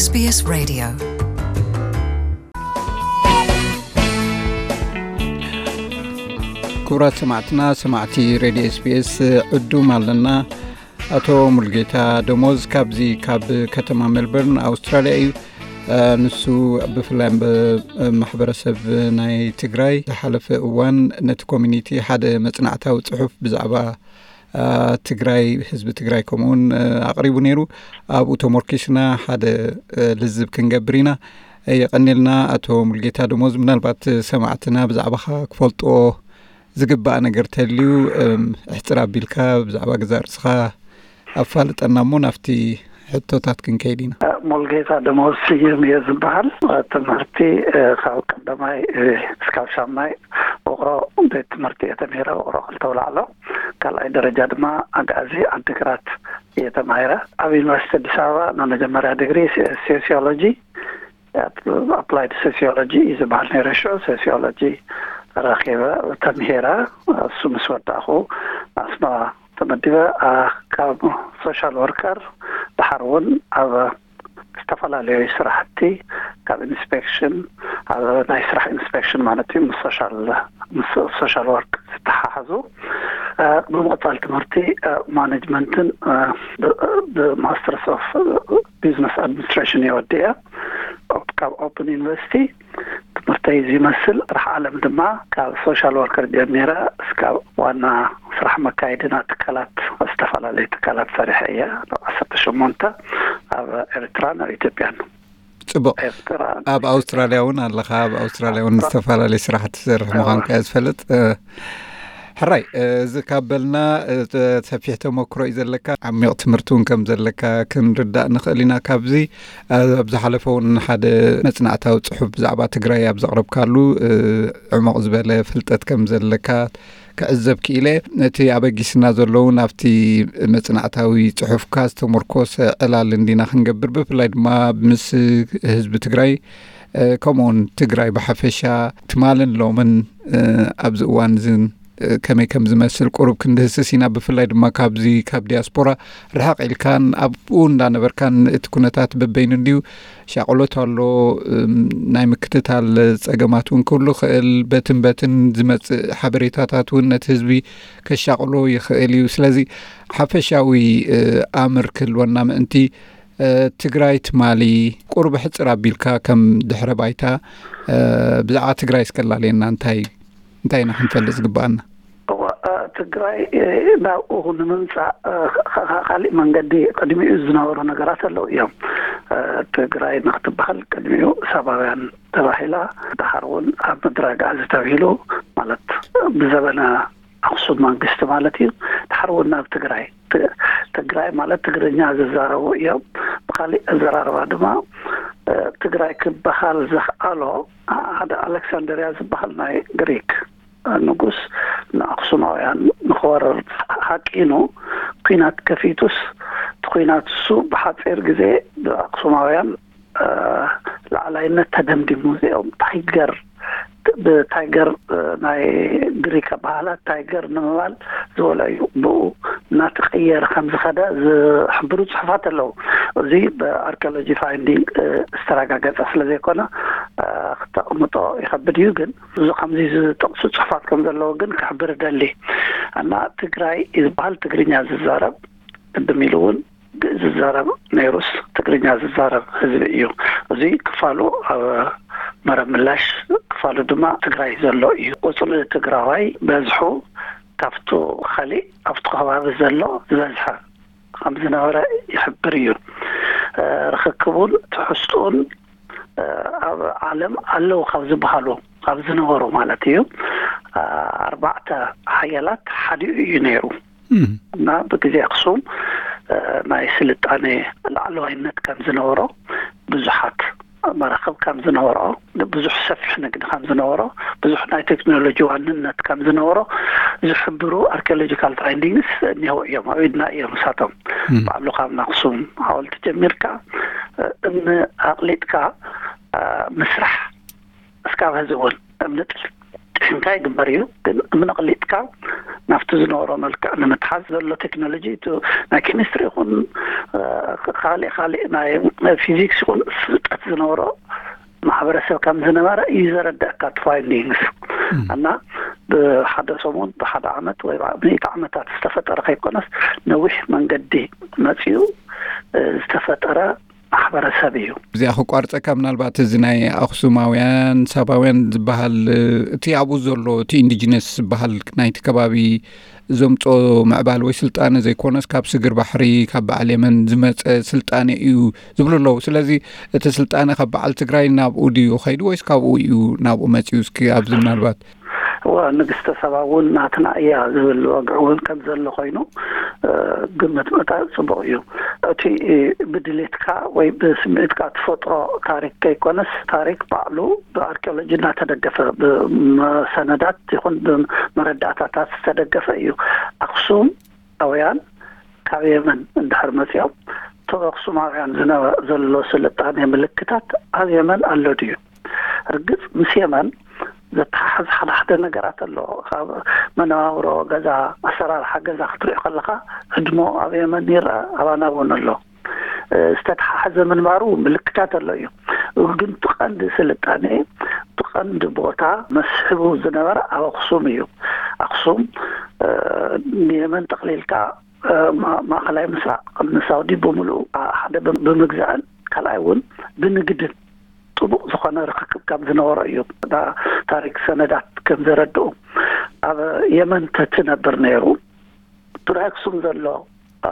SBS Radio. ክቡራት ሰማዕትና፣ ሰማዕቲ ሬድዮ ኤስቢኤስ፣ ዕዱም ኣለና። ኣቶ ሙልጌታ ደሞዝ ካብዚ ካብ ከተማ ሜልበርን ኣውስትራልያ እዩ። ንሱ ብፍላይ ማሕበረሰብ ናይ ትግራይ ዝሓለፈ እዋን ነቲ ኮሚኒቲ ሓደ መፅናዕታዊ ፅሑፍ ብዛዕባ ትግራይ፣ ህዝቢ ትግራይ ከምኡውን ኣቕሪቡ ነይሩ። ኣብኡ ተመርኪስና ሓደ ልዝብ ክንገብር ኢና። የቐኒልና ኣቶ ሙልጌታ ደሞዝ። ምናልባት ሰማዕትና ብዛዕባኻ ክፈልጦ ዝግባእ ነገር ተልዩ እሕፅር ኣቢልካ ብዛዕባ ገዛእ ርእስኻ ኣፋልጠና እሞ ናብቲ ሕቶታት ክንከይድ ኢና። ሙልጌታ ደሞዝ ስዩም እየ ዝበሃል። ትምህርቲ ካብ ቀዳማይ እስካብ ሻምናይ ውቕሮ ቤት ትምህርቲ እየ ተምሂረ፣ ውቕሮ ክልተ ኣውላዕሎ። ካልኣይ ደረጃ ድማ ኣጋዚ ዓዲግራት እየ ተማሂረ። ኣብ ዩኒቨርሲቲ ኣዲስ ኣበባ ንመጀመርያ ዲግሪ ሶሲዮሎጂ፣ ኣፕላይድ ሶሲዮሎጂ እዩ ዝበሃል ነይረ ሽዑ። ሶሲዮሎጂ ረኺበ ተምሂረ። እሱ ምስ ወዳእኹ ኣስመራ ተመዲበ። ካብ ሶሻል ወርከር ድሓር እውን ኣብ ዝተፈላለዩ ስራሕቲ፣ ካብ ኢንስፔክሽን፣ ኣብ ናይ ስራሕ ኢንስፔክሽን ማለት እዩ፣ ምስ ሶሻል ወርክ ዝተሓሓዙ። ብምቕፃል ትምህርቲ ማኔጅመንትን ብማስተርስ ኦፍ ቢዝነስ ኣድሚኒስትሬሽን እየ ወዲአ ካብ ኦፕን ዩኒቨርሲቲ። ትምህርተይ እዚ ይመስል። ስራሕ ዓለም ድማ ካብ ሶሻል ወርከር ጀሚረ እስካብ ዋና ስራሕ መካየድና ትካላት፣ ዝተፈላለዩ ትካላት ሰሪሐ እየ። ዓሰርተ ሸሞንተ ኣብ ኤርትራን ኣብ ኢትዮጵያን። ፅቡቕ። ኣብ ኣውስትራልያ እውን ኣለኻ። ኣብ ኣውስትራልያ እውን ዝተፈላለዩ ስራሕ ትሰርሕ ምዃንካ እየ ዝፈልጥ። ሕራይ፣ እዚ ካብ በልና፣ ሰፊሕ ተመክሮ እዩ ዘለካ፣ ዓሚቕ ትምህርቲ እውን ከም ዘለካ ክንርዳእ ንኽእል ኢና። ካብዚ ኣብ ዝሓለፈ እውን ሓደ መፅናዕታዊ ፅሑፍ ብዛዕባ ትግራይ ኣብ ዘቕረብካሉ ዕሙቕ ዝበለ ፍልጠት ከም ዘለካ ክዕዘብ ክኢለ። ነቲ ኣበጊስና ዘለዉ ናብቲ መፅናዕታዊ ፅሑፍካ ዝተመርኮሰ ዕላል እንዲና ክንገብር፣ ብፍላይ ድማ ምስ ህዝቢ ትግራይ ከምኡውን ትግራይ ብሓፈሻ ትማልን ሎምን ኣብዚ እዋን እዚ ከመይ ከም ዝመስል ቁሩብ ክንድህስስ ኢና። ብፍላይ ድማ ካብዚ ካብ ዲያስፖራ ርሕቕ ኢልካን ኣብኡ እንዳነበርካን እቲ ኩነታት በበይኑ እንድዩ ሻቕሎት ኣሎ። ናይ ምክትታል ፀገማት እውን ክህሉ ይኽእል። በትን በትን ዝመፅእ ሓበሬታታት እውን ነቲ ህዝቢ ከሻቕሎ ይኽእል እዩ። ስለዚ ሓፈሻዊ ኣምር ክህልወና ምእንቲ ትግራይ ትማሊ ቁሩብ ሕፅር ኣቢልካ ከም ድሕረ ባይታ ብዛዕባ ትግራይ እስከላልየና እንታይ እንታይ ኢና ክንፈልጥ ዝግባኣና? እዋ፣ ትግራይ ናብኡ ንምምፃእ ካሊእ መንገዲ ቅድሚኡ ዝነበሩ ነገራት ኣለዉ እዮም። ትግራይ ንክትበሃል ቅድሚኡ ሳባውያን ተባሂላ፣ ድሓር እውን ኣብ ምድረ ኣግኣዚ ተብሂሉ፣ ማለት ብዘበነ ኣክሱም መንግስቲ ማለት እዩ። ድሓር እውን ናብ ትግራይ፣ ትግራይ ማለት ትግርኛ ዝዛረቡ እዮም። ብካሊእ ኣዘራርባ ድማ ትግራይ ክበሃል ዘኽኣሎ ሓደ ኣሌክሳንደርያ ዝበሃል ናይ ግሪክ ንጉስ ንኣክሱማውያን ንክወርር ሃቂኑ ኲናት ከፊቱስ፣ እቲ ኲናት እሱ ብሓፂር ግዜ ብኣክሱማውያን ላዕላይነት ተደምዲሙ። እዚኦም ታይገር፣ ብታይገር ናይ ግሪክ ኣባህላ ታይገር ንምባል ዝበሎ እዩ። ብኡ እናተቀየረ ከም ዝኸደ ዝሕብሩ ፅሑፋት ኣለዉ። እዚ ብኣርኪኦሎጂ ፋይንዲንግ ዝተረጋገፀ ስለ ዘይኮነ ክተቕምጦ ይኸብድ እዩ። ግን እዚ ከምዚ ዝጠቕሱ ፅሑፋት ከም ዘለዉ ግን ክሕብር እደሊ። እና ትግራይ ዝበሃል ትግርኛ ዝዛረብ ቅድም ኢሉ እውን ግእዝ ዝዛረብ ነይሩስ ትግርኛ ዝዛረብ ህዝቢ እዩ። እዚ ክፋሉ ኣብ መረብ ምላሽ፣ ክፋሉ ድማ ትግራይ ዘሎ እዩ። ቁፅሪ ትግራዋይ በዝሑ ካብቱ ካሊእ ኣብቲ ከባቢ ዘሎ ዝበዝሐ ከም ዝነበረ ይሕብር እዩ። ርክክቡን ትሕዝትኡን ኣብ ዓለም ኣለዉ ካብ ዝበሃሉ ካብ ዝነበሩ ማለት እዩ ኣርባዕተ ሓያላት ሓዲኡ እዩ ነይሩ። እና ብግዜ ኣክሱም ናይ ስልጣኔ ላዕለዋይነት ከም ዝነበሮ ብዙሓት መራኽብ ከም ዝነበሮ፣ ብዙሕ ሰፊሕ ንግዲ ከም ዝነበሮ፣ ብዙሕ ናይ ቴክኖሎጂ ዋንነት ከም ዝነበሮ ዝሕብሩ ኣርኪኦሎጂካል ፋይንዲንግስ እኒሀው እዮም። ኣብ ኢድና እዮም እሳቶም። ባዕሉ ካብ ኣክሱም ሓወልቲ ጀሚርካ እምኒ ኣቕሊጥካ ምስራሕ እስካብ ሕዚ እውን እምኒ ጥሒንካ ይግበር እዩ። ግን እምኒ ኣቕሊጥካ ናብቲ ዝነበሮ መልክዕ ንምትሓዝ ዘሎ ቴክኖሎጂ፣ እቲ ናይ ኬሚስትሪ ይኹን፣ እ፣ ካልእ ካልእ ናይ ፊዚክስ ይኹን ፍልጠት ዝነበሮ ማሕበረሰብ ከም ዝነበረ እዩ ዘረድኣካ እቲ ፋይንዲንግስ። እና ብሓደ ሰሙን፣ ብሓደ ዓመት ወይ ሚእቲ ዓመታት ዝተፈጠረ ከይኮነስ፣ ነዊሕ መንገዲ መፂኡ፣ እ፣ ዝተፈጠረ ማሕበረሰብ እዩ። እዚኣ ክቋርፀካ፣ ምናልባት እዚ ናይ ኣኽሱማውያን ሳባውያን ዝበሃል፣ እ፣ እቲ ኣብኡ ዘሎ፣ እቲ ኢንዲጂነስ ዝበሃል ናይቲ ከባቢ ዘምጾ ምዕባል ወይ ስልጣነ ዘይኮነስ፣ ካብ ስግር ባሕሪ፣ ካብ በዓል የመን ዝመጸ ስልጣነ እዩ ዝብሉ ኣለዉ። ስለዚ እቲ ስልጣነ ካብ በዓል ትግራይ ናብኡ ድዩ ኸይዱ ወይስ ካብኡ እዩ ናብኡ መጺኡ? እስኪ ኣብዚ ምናልባት። እዋ፣ ንግስተ ሰባ እውን ናትና እያ ዝብል ወግዒ እውን ከም ዘሎ ኮይኑ፣ እ፣ ግምት ምእታው ጽቡቕ እዩ። እቲ ብድሌትካ ወይ ብስምዒትካ ትፈጥሮ ታሪክ ከይኮነስ፣ ታሪክ ባዕሉ ብኣርኪኦሎጂ እናተደገፈ፣ ብመሰነዳት ይኹን ብመረዳእታታት ዝተደገፈ እዩ። ኣኽሱም ኣውያን ካብ የመን እንድሕር መጺኦም፣ እቶም ኣኽሱማውያን ዝነበ-፣ ዘሎ ስልጣኔ ምልክታት ኣብ የመን ኣሎ ድዩ? ርግጽ፣ ምስ የመን ዘተሓሕዝ ሓደ ሓደ ነገራት ኣሎ። ካብ መነባብሮ ገዛ፣ ኣሰራርሓ ገዛ ክትሪኦ ከለኻ፣ ህድሞ ኣብ የመን ይርአ፣ ኣባና እውን ኣሎ። እ፣ ዝተተሓሓዘ ምንባሩ ምልክታት ኣሎ እዩ። ግን እቲ ቀንዲ ስልጣኔ፣ እቲ ቀንዲ ቦታ መስሕቡ ዝነበረ ኣብ ኣኽሱም እዩ። ኣኽሱም፣ እ፣ ንየመን ጠቕሊልካ፣ እ፣ ማ-፣ ማእኸላይ ምስራቕ ንሳውዲ ብምሉኡ፣ አ-፣ ሓደ ብ-፣ ብምግዛእን ካልኣይ እውን ብንግድን ጥቡቕ ዝኾነ ርክክብ ከም ዝነበሮ እዩ። ዳ-፣ ታሪክ ሰነዳት ከም ዘረድኡ፣ ኣብ የመን ተትነብር ነይሩ፣ እቲ ናይ ኣክሱም ዘሎ፣ አ፣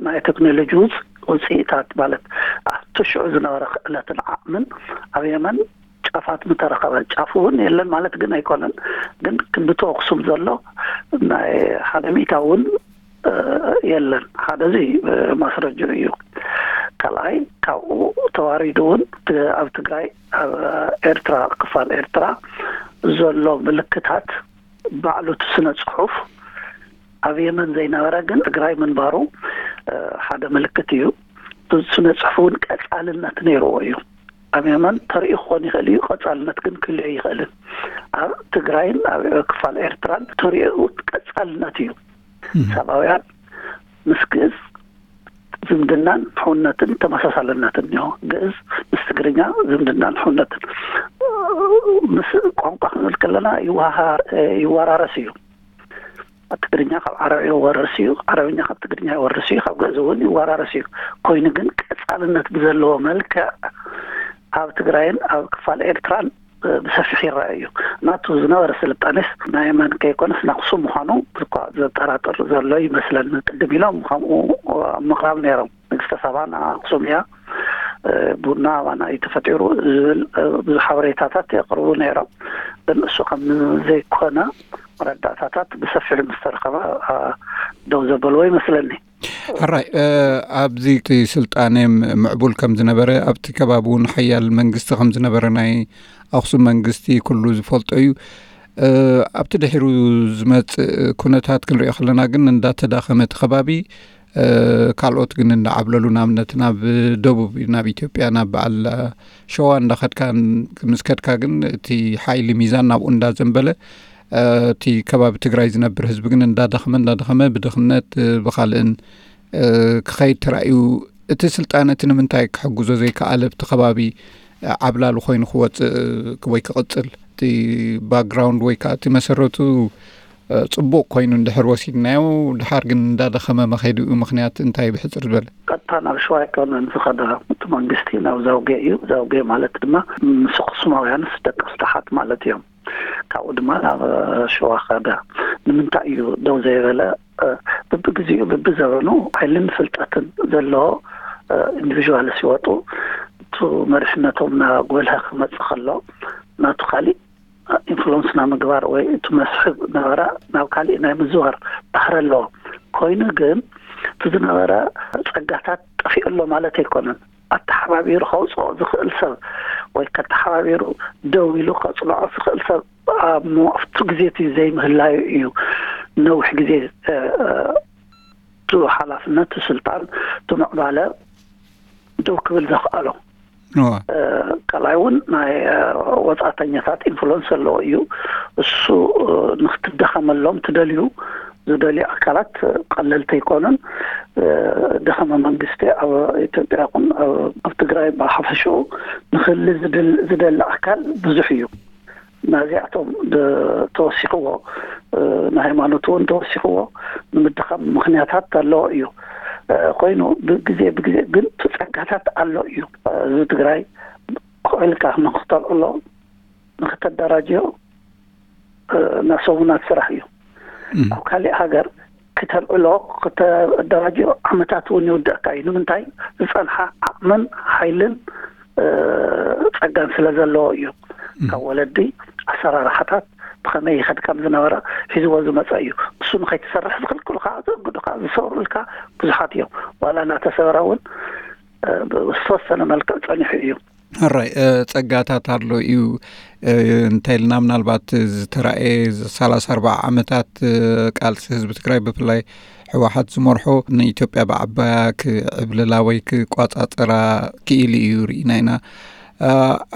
ናይ ቴክኖሎጂ ውፅ-፣ ውፅኢታት ማለት ኣብቲ ሽዑ ዝነበረ ክእለትን ዓቕምን ኣብ የመን ጫፋት ምተረኸበ። ጫፉ እውን የለን ማለት ግን ኣይኮነን፣ ግን ክንድቲ ኣክሱም ዘሎ ናይ ሓደ ሚእታ እውን፣ እ፣ የለን። ሓደ እዚ፣ እ፣ ማስረጃ እዩ። ካልኣይ፣ ካብኡ ተዋሪዱ እውን ት-፣ ኣብ ትግራይ፣ ኣብ ኤርትራ፣ ክፋል ኤርትራ ዘሎ ምልክታት፣ ባዕሉ እቲ ስነ ጽሑፍ ኣብ የመን ዘይነበረ ግን ትግራይ ምንባሩ፣ እ፣ ሓደ ምልክት እዩ። እቲ ስነ ጽሑፍ እውን ቀጻልነት ነይርዎ እዩ። ኣብ የመን ተርእዩ ክኾን ይኽእል እዩ፣ ቀጻልነት ግን ክህልዮ ይኽእልን። ኣብ ትግራይን ኣብ ክፋል ኤርትራን ተርእዩ ቀጻልነት እዩ። እም። ሳባውያን ምስ ግእዝ ዝምድናን ሕውነትን ተመሳሳልነትን እኒሆ። ግእዝ ምስ ትግርኛ ዝምድናን ሕውነትን፣ ምስ ቋንቋ ክንብል ከለና ይወሃሃር-፣ ይወራረስ እዩ። ትግርኛ ካብ ዓረብ ይወርስ እዩ፣ ዓረብኛ ካብ ትግርኛ ይወርስ እዩ፣ ካብ ግእዝ እውን ይወራረስ እዩ። ኮይኑ ግን ቀጻልነት ብዘለዎ መልክዕ ኣብ ትግራይን ኣብ ክፋል ኤርትራን፣ እ፣ ብሰፊሕ ይረአ እዩ። ናቱ ዝነበረ ስልጣኔስ ናይ የመን ከይኮነስ ናይ ኣኽሱም ምዃኑ እኳ ዘጠራጥር ዘሎ ይመስለኒ። ቅድም ኢሎም ከምኡ ምቕራብ ነይሮም። ንግስተ ሳባ ንኣኽሱም እያ፣ እ፣ ቡና ኣባና እዩ ተፈጢሩ ዝብል፣ እ፣ ብዙሕ ሓበሬታታት የቕርቡ ነይሮም። ግን እሱ ከም ዘይኮነ መረዳእታታት ብሰፊሑ ምስ ተረኸበ፣ እ፣ ደው ዘበልዎ ይመስለኒ። ሕራይ፣ እ፣ ኣብዚ እቲ ስልጣነ ም-፣ ምዕቡል ከም ዝነበረ፣ ኣብቲ ከባቢ እውን ሓያል መንግስቲ ከም ዝነበረ ናይ ኣኽሱም መንግስቲ ኩሉ ዝፈልጦ እዩ። እ፣ ኣብቲ ድሒሩ ዝመጽእ ኩነታት ክንሪኦ ከለና ግን እንዳተዳኸመ እቲ ከባቢ፣ እ፣ ካልኦት ግን እንዳዓብለሉ፣ ንኣብነት ናብ ደቡብ፣ ናብ ኢትዮጵያ፣ ናብ በዓል ሸዋ እንዳኸድካ፣ ምስ ከድካ ግን እቲ ሓይሊ ሚዛን ናብኡ እንዳዘንበለ፣ እ፣ እቲ ከባቢ ትግራይ ዝነብር ህዝቢ ግን እንዳደኸመ፣ እንዳደኸመ ብድኽነት፣ እ፣ ብኻልእን፣ እ፣ ክኸይድ ተራእዩ። እቲ ስልጣነ እቲ ንምንታይ ክሕግዞ ዘይከኣለ፣ ኣብቲ ከባቢ፣ እ፣ ዓብላሊ ኮይኑ ክወፅእ ወይ ክቕፅል? እቲ ባክግራውንድ ወይ ከዓ እቲ መሰረቱ፣ እ፣ ፅቡቕ ኮይኑ እንድሕር ወሲድናዮ፣ ድሓር ግን እንዳደኸመ መኸይዱ እዩ ምኽንያት እንታይ? ብሕፅር ዝበለ። ቀጥታ ናብ ሸዋ ኣይኮነን ዝኸደ እቲ መንግስቲ፣ ናብ ዛውጌ እዩ። ዛውጌ ማለት ድማ ምስ ኣኽሱማውያንስ ደቂ ስታሓት ማለት እዮም። ካብኡ ድማ ናብ ሸዋ ኸደ። ንምንታይ እዩ ደው ዘይበለ? እ፣ ብብግዜኡ፣ ብብዘበኑ ሓይልን ፍልጠትን ዘለዎ፣ እ፣ ኢንዲቪዥዋልስ ይወጡ። እቱ መሪሕነቶም እናጎልሀ ክመጽእ ከሎ፣ ናቱ ካሊእ ኢንፍሉወንስ ናይ ምግባር ወይ እቲ መስሕብ ነበረ ናብ ካሊእ ናይ ምዝዋር ባህሪ ኣለዎ። ኮይኑ ግን እቲ ዝነበረ ጸጋታት ጠፊኡ ኣሎ ማለት ኣይኮነን። ኣተሓባቢሩ ከውፅኦ ዝኽእል ሰብ ወይ ከተሓባቢሩ ደው ኢሉ ከፅንዖ ዝኽእል ሰብ ኣብ ሞ-፣ ኣብቲ ግዜ እቲ ዘይምህላዩ እዩ ነዊሕ ግዜ፣ እ፣ እ፣ እቲ ሓላፍነት፣ እቲ ስልጣን፣ እቲ ምዕባለ ደው ክብል ዘኽኣሎ። እዋ። እ፣ ካልኣይ እውን ናይ፣ እ፣ ወፃእተኛታት ኢንፍሉወንስ ዘለዎ እዩ። እሱ፣ እ፣ ንክትደኸመሎም ትደልዩ ዝደልዩ ኣካላት ቀለልቲ ኣይኮኑን። ደኸመ መንግስቲ ኣብ ኢትዮጵያ ይኹን ኣብ ትግራይ ብሓፈሽኡ ንክህሊ ዝደሊ ኣካል ብዙሕ እዩ። ናዚኣቶም ተወሲኽዎ፣ ንሃይማኖት እውን ተወሲኽዎ ንምድኻም ምኽንያታት ኣለዎ እዩ። ኮይኑ ብግዜ ብግዜ ግን ጸጋታት ኣሎ እዩ። ህዝቢ ትግራይ ኮዒልካ ንክተልዕሎ ንክተደራጅዮ፣ ናብ ሰሙናት ስራሕ እዩ። ኣብ ካሊእ ሃገር ክተልዕሎ ክተደራጅዮ ዓመታት እውን ይውድእካ እዩ። ንምንታይ? ዝፀንሓ ዓቕምን ሓይልን ጸጋን ስለ ዘለዎ እዩ። ካብ ወለዲ ኣሰራርሓታት ብኸመይ ይኸድ ከም ዝነበረ ሒዝዎ ዝመፀ እዩ። እሱ ንኸይትሰርሕ ዝኽልክሉካ፣ ዘእግዱካ፣ ዝሰብሩልካ ብዙሓት እዮም። ዋላ እናተሰበረ እውን ዝተወሰነ መልክዕ ፀኒሑ እዩ። ሕራይ ጸጋታት ኣሎ እዩ እንተ ኢልና፣ ምናልባት ዝተራእየ ሰላሳ ኣርባዓ ዓመታት ቃልሲ ህዝቢ ትግራይ፣ ብፍላይ ህወሓት ዝመርሖ፣ ንኢትዮጵያ ብዓባያ ክዕብልላ ወይ ክቋጻጸራ ክኢሉ እዩ ርኢና ኢና።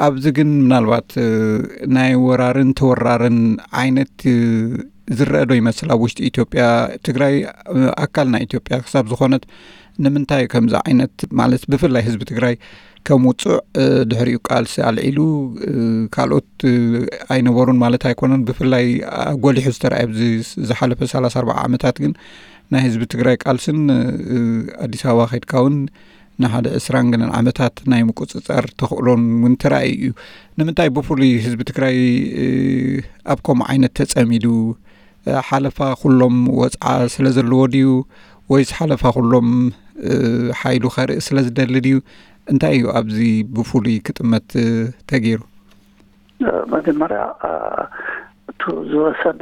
ኣብዚ ግን ምናልባት ናይ ወራርን ተወራርን ዓይነት ዝረአ ዶ ይመስል ኣብ ውሽጢ ኢትዮጵያ? ትግራይ ኣካል ናይ ኢትዮጵያ ክሳብ ዝኾነት፣ ንምንታይ ከምዚ ዓይነት፣ ማለት ብፍላይ ህዝቢ ትግራይ ከም ውፁዕ ድሕሪኡ ቃልሲ ኣልዒሉ፣ ካልኦት ኣይነበሩን ማለት ኣይኮነን። ብፍላይ ጎሊሑ ዝተረኣየ ኣብዚ ዝሓለፈ ሰላሳ ኣርባዓ ዓመታት ግን ናይ ህዝቢ ትግራይ ቃልስን ኣዲስ ኣበባ ከይድካ እውን ንሓደ ዕስራን ገለን ዓመታት ናይ ምቁፅፃር ተኽእሎን እውን ተራእዩ እዩ። ንምንታይ ብፍሉይ ህዝቢ ትግራይ ኣብ ከምኡ ዓይነት ተፀሚዱ? ሓለፋ ኩሎም ወፅዓ ስለ ዘለዎ ድዩ፣ ወይስ ሓለፋ ኩሎም ሓይሉ ከርኢ ስለ ዝደሊ ድዩ? እንታይ እዩ ኣብዚ ብፍሉይ ክጥመት ተገይሩ? መጀመርያ፣ እቱ ዝወሰደ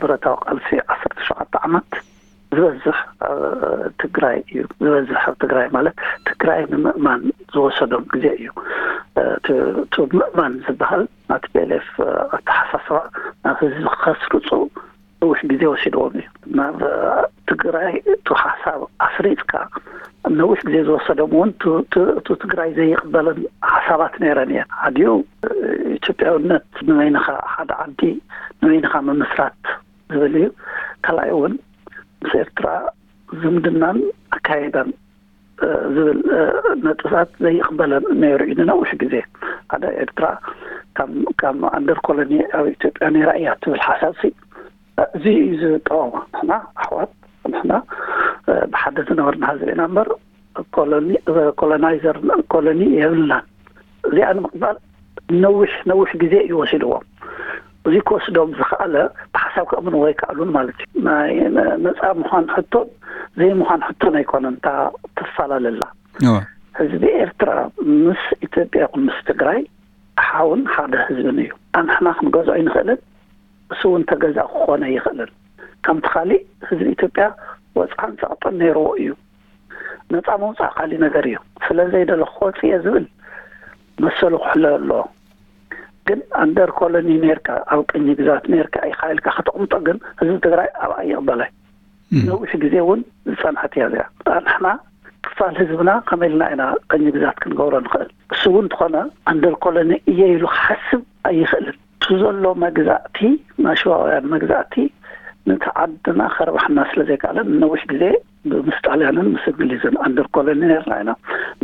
ብረታዊ ቃልሲ ዓሰርተ ሸውዓተ ዓመት ዝበዝሕ ኣብ ትግራይ እዩ። ዝበዝሕ ኣብ ትግራይ ማለት ትግራይ ንምእማን ዝወሰዶም ግዜ እዩ። እቲ ምእማን ዝበሃል ናቲ ፒ ኤል ኤፍ ኣተሓሳስባ ናብ ህዝቢ ከስርፁ ነዊሕ ግዜ ወሲድዎም እዩ። ናብ ትግራይ እቲ ሓሳብ ኣስሪፅካ ነዊሕ ግዜ ዝወሰዶም እውን እቲ ትግራይ ዘይቕበለን ሓሳባት ነይረን እየን። ሓዲኡ ኢትዮጵያውነት ንበይንኻ፣ ሓደ ዓዲ ንበይንኻ ምምስራት ዝብል እዩ። ካልኣይ እውን ምስ ኤርትራ ዝምድናን ኣካይዳን ዝብል ነጥብታት ዘይቕበለን ነይሩ እዩ ንነዊሕ ግዜ። ሓደ ኤርትራ ካብ ኣንደር ኮሎኒ ኣብ ኢትዮጵያ ነይራ እያ ትብል ሓሳብ ሲ እዚ እዩ ዝቃወማ። ንሕና ኣሕዋት፣ ንሕና ብሓደ ዝነበርና ህዝቢ ኢና እምበር ኮሎናይዘር፣ ኮሎኒ የብልናን። እዚኣ ንምቕባል ነዊሕ ነዊሕ ግዜ እዩ ወሲድዎም። እዚ ክወስዶም ዝኸኣለ ብሓሳብ ከእምንዎ ኣይከኣሉን ማለት እዩ። ናይ ነፃ ምዃን ሕቶን ዘይምዃን ሕቶን ኣይኮነን እታ ትፈላለላ። ህዝቢ ኤርትራ ምስ ኢትዮጵያ ይኹን ምስ ትግራይ ሓውን ሓደ ህዝብን እዩ። ኣንሕና ክንገዝኦ ኣይንኽእልን፣ እሱ እውን ተገዛእ ክኾነ ኣይኽእልን። ከምቲ ካሊእ ህዝቢ ኢትዮጵያ ወፅዓን ፀቕጥን ነይርዎ እዩ። ነፃ ምውፃእ ካሊእ ነገር እዩ። ስለ ዘይደለኹ ክወፅእ እየ ዝብል መሰሉ ክሕሎ ኣለዎ። ግን ኣንደር ኮሎኒ ነርካ፣ ኣብ ቅኝ ግዛት ነርካ ኢኻ ኢልካ ከተቕምጦ ግን ህዝቢ ትግራይ ኣብኣ ይቕበላይ። ነዊሕ ግዜ እውን ዝፀንሐት እያ እዚኣ። ንሕና ክፋል ህዝብና ከመይ ኢልና ኢና ቅኝ ግዛት ክንገብሮ ንኽእል? እሱ እውን እንተኾነ ኣንደር ኮሎኒ እየ ኢሉ ክሓስብ ኣይኽእልን። እቲ ዘሎ መግዛእቲ፣ ናይ ሽዋውያን መግዛእቲ ነቲ ዓድና ከርባሕና ስለ ዘይከኣለ ንነዊሕ ግዜ ምስ ጣልያንን ምስ እንግሊዝን ኣንደር ኮሎኒ ነርና ኢና።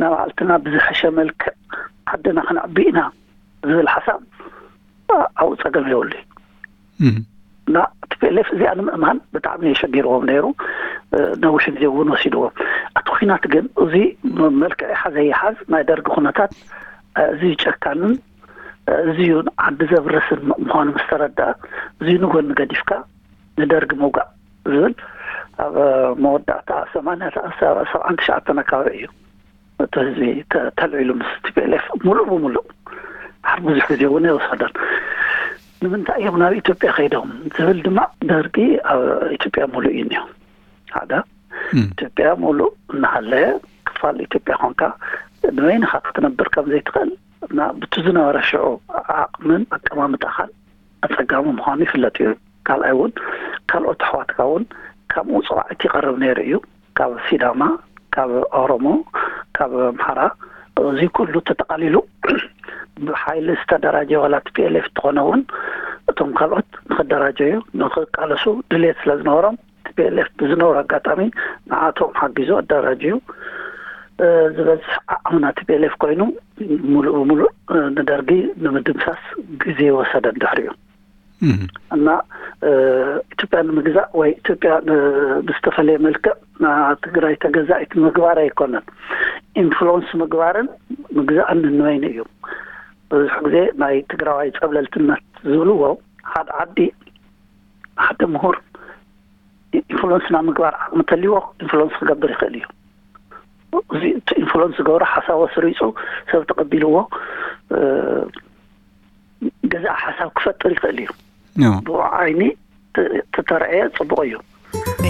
ናባዕልትና ብዝሐሸ መልክዕ ዓድና ክነዕቢ ኢና ዝብል ሓሳብ ኣብኡ ፀገም የብሉ። እና ቲ ፒ ኤል ኤፍ እዚኣ ንምእማን ብጣዕሚ የሸጊርዎም ነይሩ። ነዊሕ ግዜ እውን ወሲድዎም። እቲ ኩናት ግን እዚ መልክዕ ይሓዘ ይሓዝ ናይ ደርጊ ኩነታት፣ እዚ ጨካንን እዚ ዓዲ ዘብርስን ምዃኑ ምስ ተረድኣ፣ እዚ ንጎኒ ገዲፍካ ንደርጊ ምውጋእ ዝብል ኣብ መወዳእታ ሰማንያ ሰብዓን ትሽዓተን ኣካባቢ እዩ። እቲ ህዝቢ ተልዒሉ ምስ ቲ ፒ ኤል ኤፍ ሙሉእ ብሙሉእ ድሓር ብዙሕ ግዜ እውን ኣይወሰደን። ንምንታይ እዮም ናብ ኢትዮጵያ ከይዶም ዝብል ድማ፣ ደርጊ ኣብ ኢትዮጵያ ሙሉእ እዩ እኒኦ። ሓደ ኢትዮጵያ ሙሉእ እናሃለየ ክፋል ኢትዮጵያ ኮንካ ንበይንኻ ክትነብር ከም ዘይትኽእል እና ብቲ ዝነበረ ሽዑ ዓቕምን ኣቀማምጣኻን ኣጸጋሚ ምዃኑ ይፍለጥ እዩ። ካልኣይ እውን ካልኦት ኣሕዋትካ እውን ካብ ምውፅዋዕቲ ይቐርብ ነይሩ እዩ። ካብ ሲዳማ፣ ካብ ኦሮሞ፣ ካብ ኣምሓራ፣ እዚ ኩሉ ተጠቓሊሉ ብሓይሊ ዝተደራጀ ዋላ ቲ ፒ ኤል ኤፍ እንተኾነ እውን እቶም ካልኦት ንክደራጀዩ ንክቃለሱ ድልየት ስለ ዝነበሮም ቲ ፒኤልኤፍ ብዝነበሩ ኣጋጣሚ ንዓቶም ሓጊዙ ኣደራጅዩ ዝበዝሕ ዓቕምና ቲፒኤልኤፍ ኮይኑ ሙሉእ ብሙሉእ ንደርጊ ንምድምሳስ ግዜ ወሰደ ድሕሪኡ። እና ኢትዮጵያ ንምግዛእ ወይ ኢትዮጵያ ብዝተፈለየ መልክዕ ትግራይ ተገዛኢት ምግባር ኣይኮነን፣ ኢንፍሉወንስ ምግባርን ምግዛእን ንንበይኑ እዩ። ብዙሕ ግዜ ናይ ትግራዋይ ፀብለልትነት ዝብልዎ ሓደ ዓዲ ሓደ ምሁር ኢንፍሉንስ ናብ ምግባር ዓቕሚ ተልዎ ኢንፍሉንስ ክገብር ይኽእል እዩ። እዚ ኢንፍሉንስ ዝገብሮ ሓሳብ ኣስሪፁ ሰብ ተቐቢልዎ ገዛ ሓሳብ ክፈጥር ይኽእል እዩ። ብኡ ዓይኒ ተተረአየ ፅቡቕ እዩ።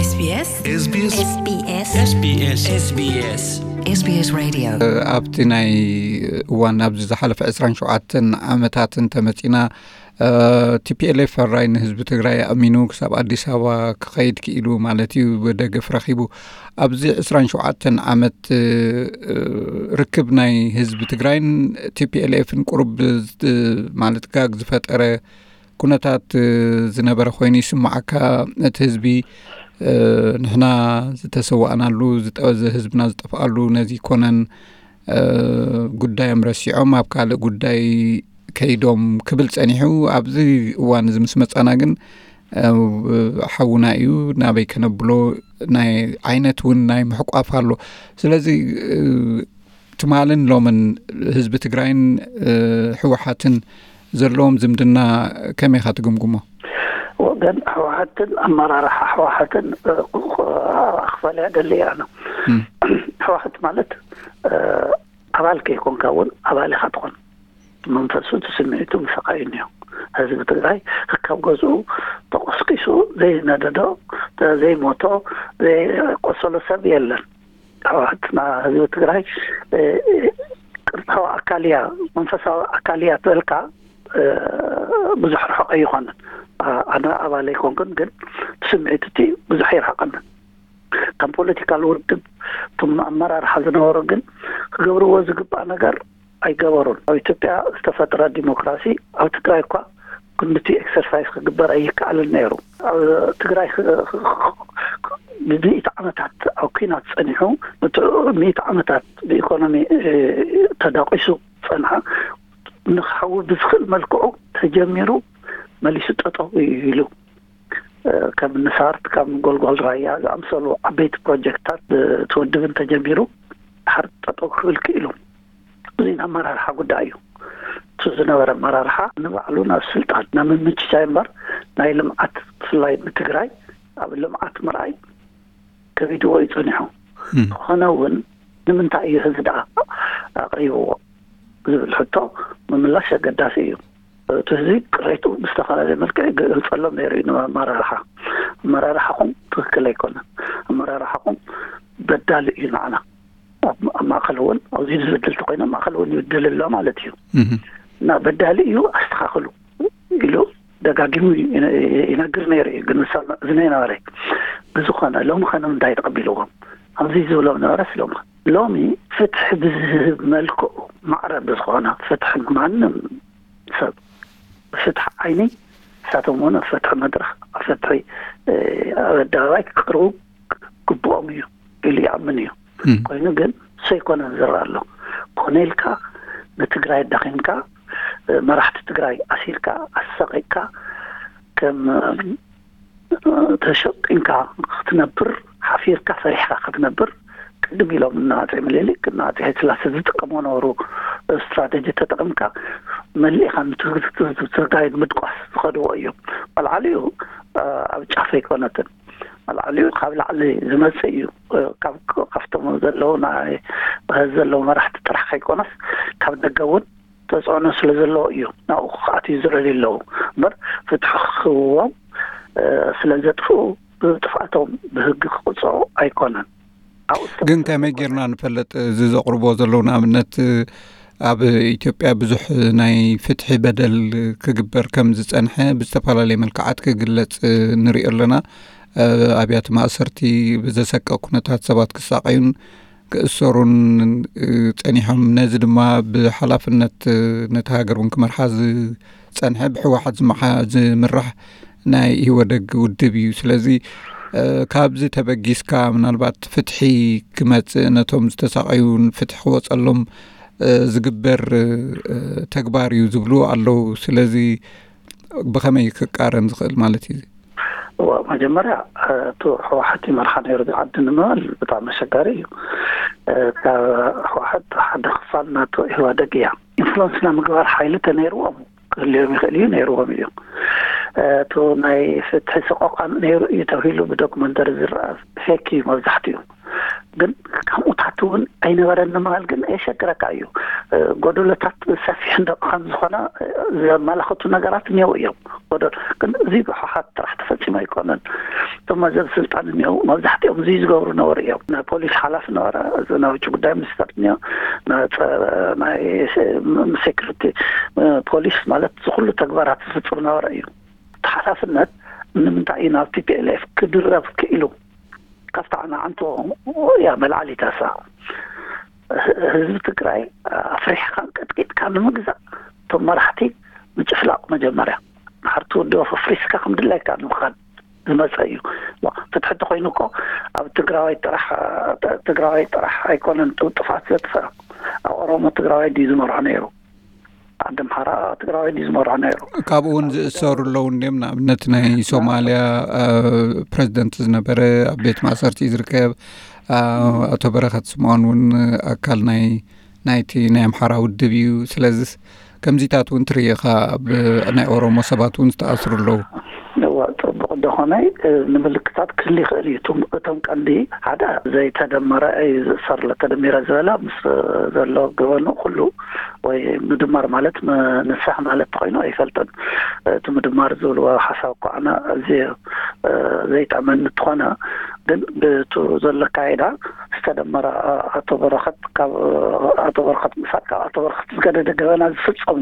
SBS SBS SBS SBS SBS SBS Radio። ኣብቲ ናይ እዋን ኣብዚ ዝሓለፈ ዕስራን ሸውዓተን ዓመታት እንተመፂና ቲፒኤልኤፍ ሕራይ ንህዝቢ ትግራይ ኣእሚኑ ክሳብ ኣዲስ ኣበባ ክኸይድ ክኢሉ ማለት እዩ፣ ደገፍ ረኺቡ። ኣብዚ ዕስራን ሸውዓተን ዓመት ርክብ ናይ ህዝቢ ትግራይን ቲፒኤልኤፍን ቁሩብ ማለት ጋግ ዝፈጠረ ኩነታት ዝነበረ ኮይኑ ይስማዓካ? እቲ ህዝቢ ንሕና ዝተሰዋእናሉ ህዝብና ዝጠፍኣሉ ነዚ ኮነን ጉዳዮም ረሲዖም ኣብ ካልእ ጉዳይ ከይዶም ክብል ጸኒሑ። ኣብዚ እዋን እዚ ምስ መጻና ግን ሓውና እዩ፣ ናበይ ከነብሎ ናይ ዓይነት እውን ናይ ምሕቋፍ ኣሎ። ስለዚ ትማልን ሎምን ህዝቢ ትግራይን ህወሓትን ዘለዎም ዝምድና ከመይ ኢኻ ትግምግሞ? ወገን ህወሓትን ኣመራርሓ ህወሓትን ክፈልያ ደሊ ኣነ። ህወሓት ማለት ኣባል ከይኮንካ እውን ኣባል ኢኻ ትኾን። መንፈሱ እቲ ስምዒቱ ምሳኻ እዩ እኒኦ። ህዝቢ ትግራይ ካብ ገዝኡ ተቆስቂሱ ዘይነደዶ ዘይሞቶ ዘይቆሰሎ ሰብ የለን። ህወሓት ህዝቢ ትግራይ ቅርፃዊ ኣካል እያ መንፈሳዊ ኣካል እያ ትበልካ ብዙሕ ርሑቕ ኣይኾነን። ኣነ ኣባል ኣይኮንኩን ግን ስምዒት እቲ ብዙሕ ይርሕቐንን። ከም ፖለቲካል ውድብ እቶም ኣመራርሓ ዝነበሩ ግን ክገብርዎ ዝግባእ ነገር ኣይገበሩን። ኣብ ኢትዮጵያ ዝተፈጥረ ዲሞክራሲ ኣብ ትግራይ እኳ ክንድቲ ኤክሰርሳይዝ ክግበር ኣይከኣልን ነይሩ። ኣብ ትግራይ ብሚእቲ ዓመታት ኣብ ኲናት ጸኒሑ ንትዑ ሚእቲ ዓመታት ብኢኮኖሚ ተዳቂሱ ጸንሓ ንክሓዊ ብዝኽእል መልክዑ ተጀሚሩ መሊሱ ጠጠው ኢሉ ከም ንሳርት ከም ጎልጓል ራያ ዝኣምሰሉ ዓበይቲ ፕሮጀክትታት ትውድብን ተጀሚሩ ድሓር ጠጠው ክብል ክኢሉ። እዚ ኣመራርሓ ጉዳይ እዩ። እቲ ዝነበረ ኣመራርሓ ንባዕሉ ናብ ስልጣን ናብ ምምችቻይ እምበር ናይ ልምዓት ብፍላይ ንትግራይ ኣብ ልምዓት ምርኣይ ከቢድዎ እዩ ጸኒሑ። ዝኾነ እውን ንምንታይ እዩ ህዝቢ ደኣ ኣቕሪብዎ ዝብል ሕቶ ምምላሽ ኣገዳሲ እዩ። እቲ ህዝቢ ቅሬቱ ብዝተፈላለየ መልክዕ ይገልፀሎም ነይሩ እዩ ንኣመራርሓ። ኣመራርሓኹም ትክክል ኣይኮነን፣ ኣመራርሓኹም በዳሊ እዩ ንዓና። ኣብ ማእኸል እውን ኣብዚ ዝብድል ተኮይኖም ማእኸል እውን ይብድል ኣሎ ማለት እዩ። እና በዳሊ እዩ ኣስተኻኽሉ ኢሉ ደጋጊሙ ይነግር ነይሩ እዩ። ግን ንሰምዕ ዝነበረ ብዝኾነ ሎሚ ኸ ንምንታይ ተቐቢልዎም ኣብዚ ዝብሎም ነበረስ ሎሚ ሎሚ ፍትሒ ብዝህብ መልክዑ ማዕረ ብዝኾነ ፍትሒ ንማንም ሰብ ብፍትሒ ዓይኒ ንሳቶም እውን ኣብ ፍትሒ መድረኽ ኣብ ፍትሒ ኣብ ኣደባባይ ክቅርቡ ግብኦም እዩ ኢሉ ይኣምን እዩ። ኮይኑ ግን ሰይኮነን ዝረኣ ኣሎ። ኮነ ኢልካ ንትግራይ ኣዳኺምካ መራሕቲ ትግራይ ኣሲርካ ኣሳቂቅካ ከም ተሸቂንካ ክትነብር ሓፊርካ ፈሪሕካ ክትነብር ቅድም ኢሎም እናኣፀ ምኒልክ እናኣፀ ሃይለስላሴ ዝጥቀሞ ነበሩ ስትራቴጂ ተጠቅምካ መሊእካ ንትግራይ ምድቋስ ዝኸድዎ እዮም። ኣልዓሊኡ ኣብ ጫፍ ኣይኮነትን። ኣልዓሊኡ ካብ ላዕሊ ዝመፅእ እዩ። ካብቶም ዘለዉ ዘለዉ መራሕቲ ጥራሕ ከይኮነስ ካብ ደገ እውን ተፅዕኖ ስለ ዘለዎ እዩ ናብኡ ክኣትዩ ዝረድዩ ኣለዉ እምበር ፍትሒ ክህብዎም ስለ ዘጥፍኡ ብጥፍኣቶም ብህጊ ክቕፅዑ ኣይኮነን። ግን ከመይ ጌርና ንፈልጥ? እዚ ዘቕርቦ ዘለዉ ንኣብነት ኣብ ኢትዮጵያ ብዙሕ ናይ ፍትሒ በደል ክግበር ከም ዝፀንሐ ብዝተፈላለየ መልክዓት ክግለፅ ንሪኦ ኣለና። ኣብያተ ማእሰርቲ ብዘሰቀ ኩነታት ሰባት ክሳቀዩን ክእሰሩን ጸኒሖም። ነዚ ድማ ብሓላፍነት ነቲ ሃገር እውን ክመርሓ ዝጸንሐ ብህወሓት ዝመሓ ዝምራሕ ናይ ኢህወደግ ውድብ እዩ። ስለዚ ካብዚ ተበጊስካ ምናልባት ፍትሒ ክመጽእ፣ ነቶም ዝተሳቐዩን ፍትሒ ክወጸሎም ዝግበር ተግባር እዩ ዝብሉ ኣለዉ። ስለዚ ብኸመይ ክቃረን ዝኽእል ማለት እዩ? መጀመርያ እቲ ህወሓት ይመርሓ ነይሩ ዓዲ ንምባል ብጣዕሚ ኣሸጋሪ እዩ። ካብ ህወሓት ሓደ ክፋል ናቶ ኢህዋደግ እያ። ኢንፍሉንስ ናይ ምግባር ሓይሊ ተነይርዎም ክህልዮም ይኽእል እዩ፣ ነይርዎም እዩ። እቲ ናይ ፍትሒ ሰቆቃን ነይሩ እዩ ተባሂሉ ብዶክመንተሪ ዝረኣ ፌክ እዩ መብዛሕትኡ። ግን ከምኡታት እውን ኣይነበረን ንምባል ግን የሸግረካ እዩ። ጎደሎታት ሰፊሕ እንደ ከም ዝኾነ ዘመላኽቱ ነገራት እኒአው እዮም። ጎደሎ ግን እዚ ብህወሓት ጥራሕ ተፈፂሙ ኣይኮነን። እቶም መዘብ ስልጣን እኒአው መብዛሕትኦም እዚ ዝገብሩ ነበሩ እዮም። ናይ ፖሊስ ሓላፊ ነበረ፣ እዚ ናይ ውጭ ጉዳይ ሚኒስተር እኒኦ፣ ናይ ሴኩሪቲ ፖሊስ ማለት ዝኩሉ ተግባራት ዝፍፅም ነበረ እዩ። እቲ ሓላፍነት ንምንታይ እዩ ናብ ቲ ፒ ኤል ኤፍ ክድረብ ክኢሉ? ካብታ ዓናዓንቶ እያ መልዓሊታሳ። ህዝቢ ትግራይ ኣፍሪሕካ ቀጥቂጥካ ንምግዛእ እቶም መራሕቲ ምጭፍላቕ መጀመርያ ንሓርቲ ወዲ ኣፍሪስካ ከም ድላይካ ንምኻድ ዝመፀ እዩ። ፍትሒ እንተኮይኑ እኮ ኣብ ትግራዋይ ጥራሕ ትግራዋይ ጥራሕ ኣይኮነን ጥፍኣት ዘጥፍእ። ኣብ ኦሮሞ ትግራዋይ ድዩ ዝመርሖ ነይሩ? ዓዲ ኣምሓራ ትግራዋይ ድዩ ዝመርሖ ነይሩ? ካብኡ እውን ዝእሰሩ ኣለዉ እንድዮም። ንኣብነት ናይ ሶማልያ ፕሬዚደንት ዝነበረ ኣብ ቤት ማእሰርቲ ዝርከብ ኣቶ በረኸት ስምኦን እውን ኣካል ናይ ናይቲ ናይ ኣምሓራ ውድብ እዩ። ስለዚ ከምዚታት እውን ትርኢ ኢኻ። ኣብ ናይ ኦሮሞ ሰባት እውን ዝተኣስሩ ኣለዉ። እዋ፣ ፅቡቕ እንተኾነ ንምልክታት ክህል ይኽእል እዩ። እቶም ቀንዲ ሓደ ዘይተደመረ እዩ ዝእሰር፣ ተደሚረ ዝበላ ምስ ዘሎ ገበኑ ኩሉ ወይ ምድማር ማለት ንስሕ ማለት ተኮይኑ ኣይፈልጥን። እቲ ምድማር ዝብልዎ ሓሳብ እኳ ኣነ ኣዝየ ዘይጥዕመኒ እንተኾነ ግን ብቱ ዘሎ ኣካይዳ ዝተደመረ ኣቶ በረኸት ካብ ኣቶ በረኸት ምሳል ካብ ኣቶ በረኸት ዝገደደ ገበና ዝፍፀሙ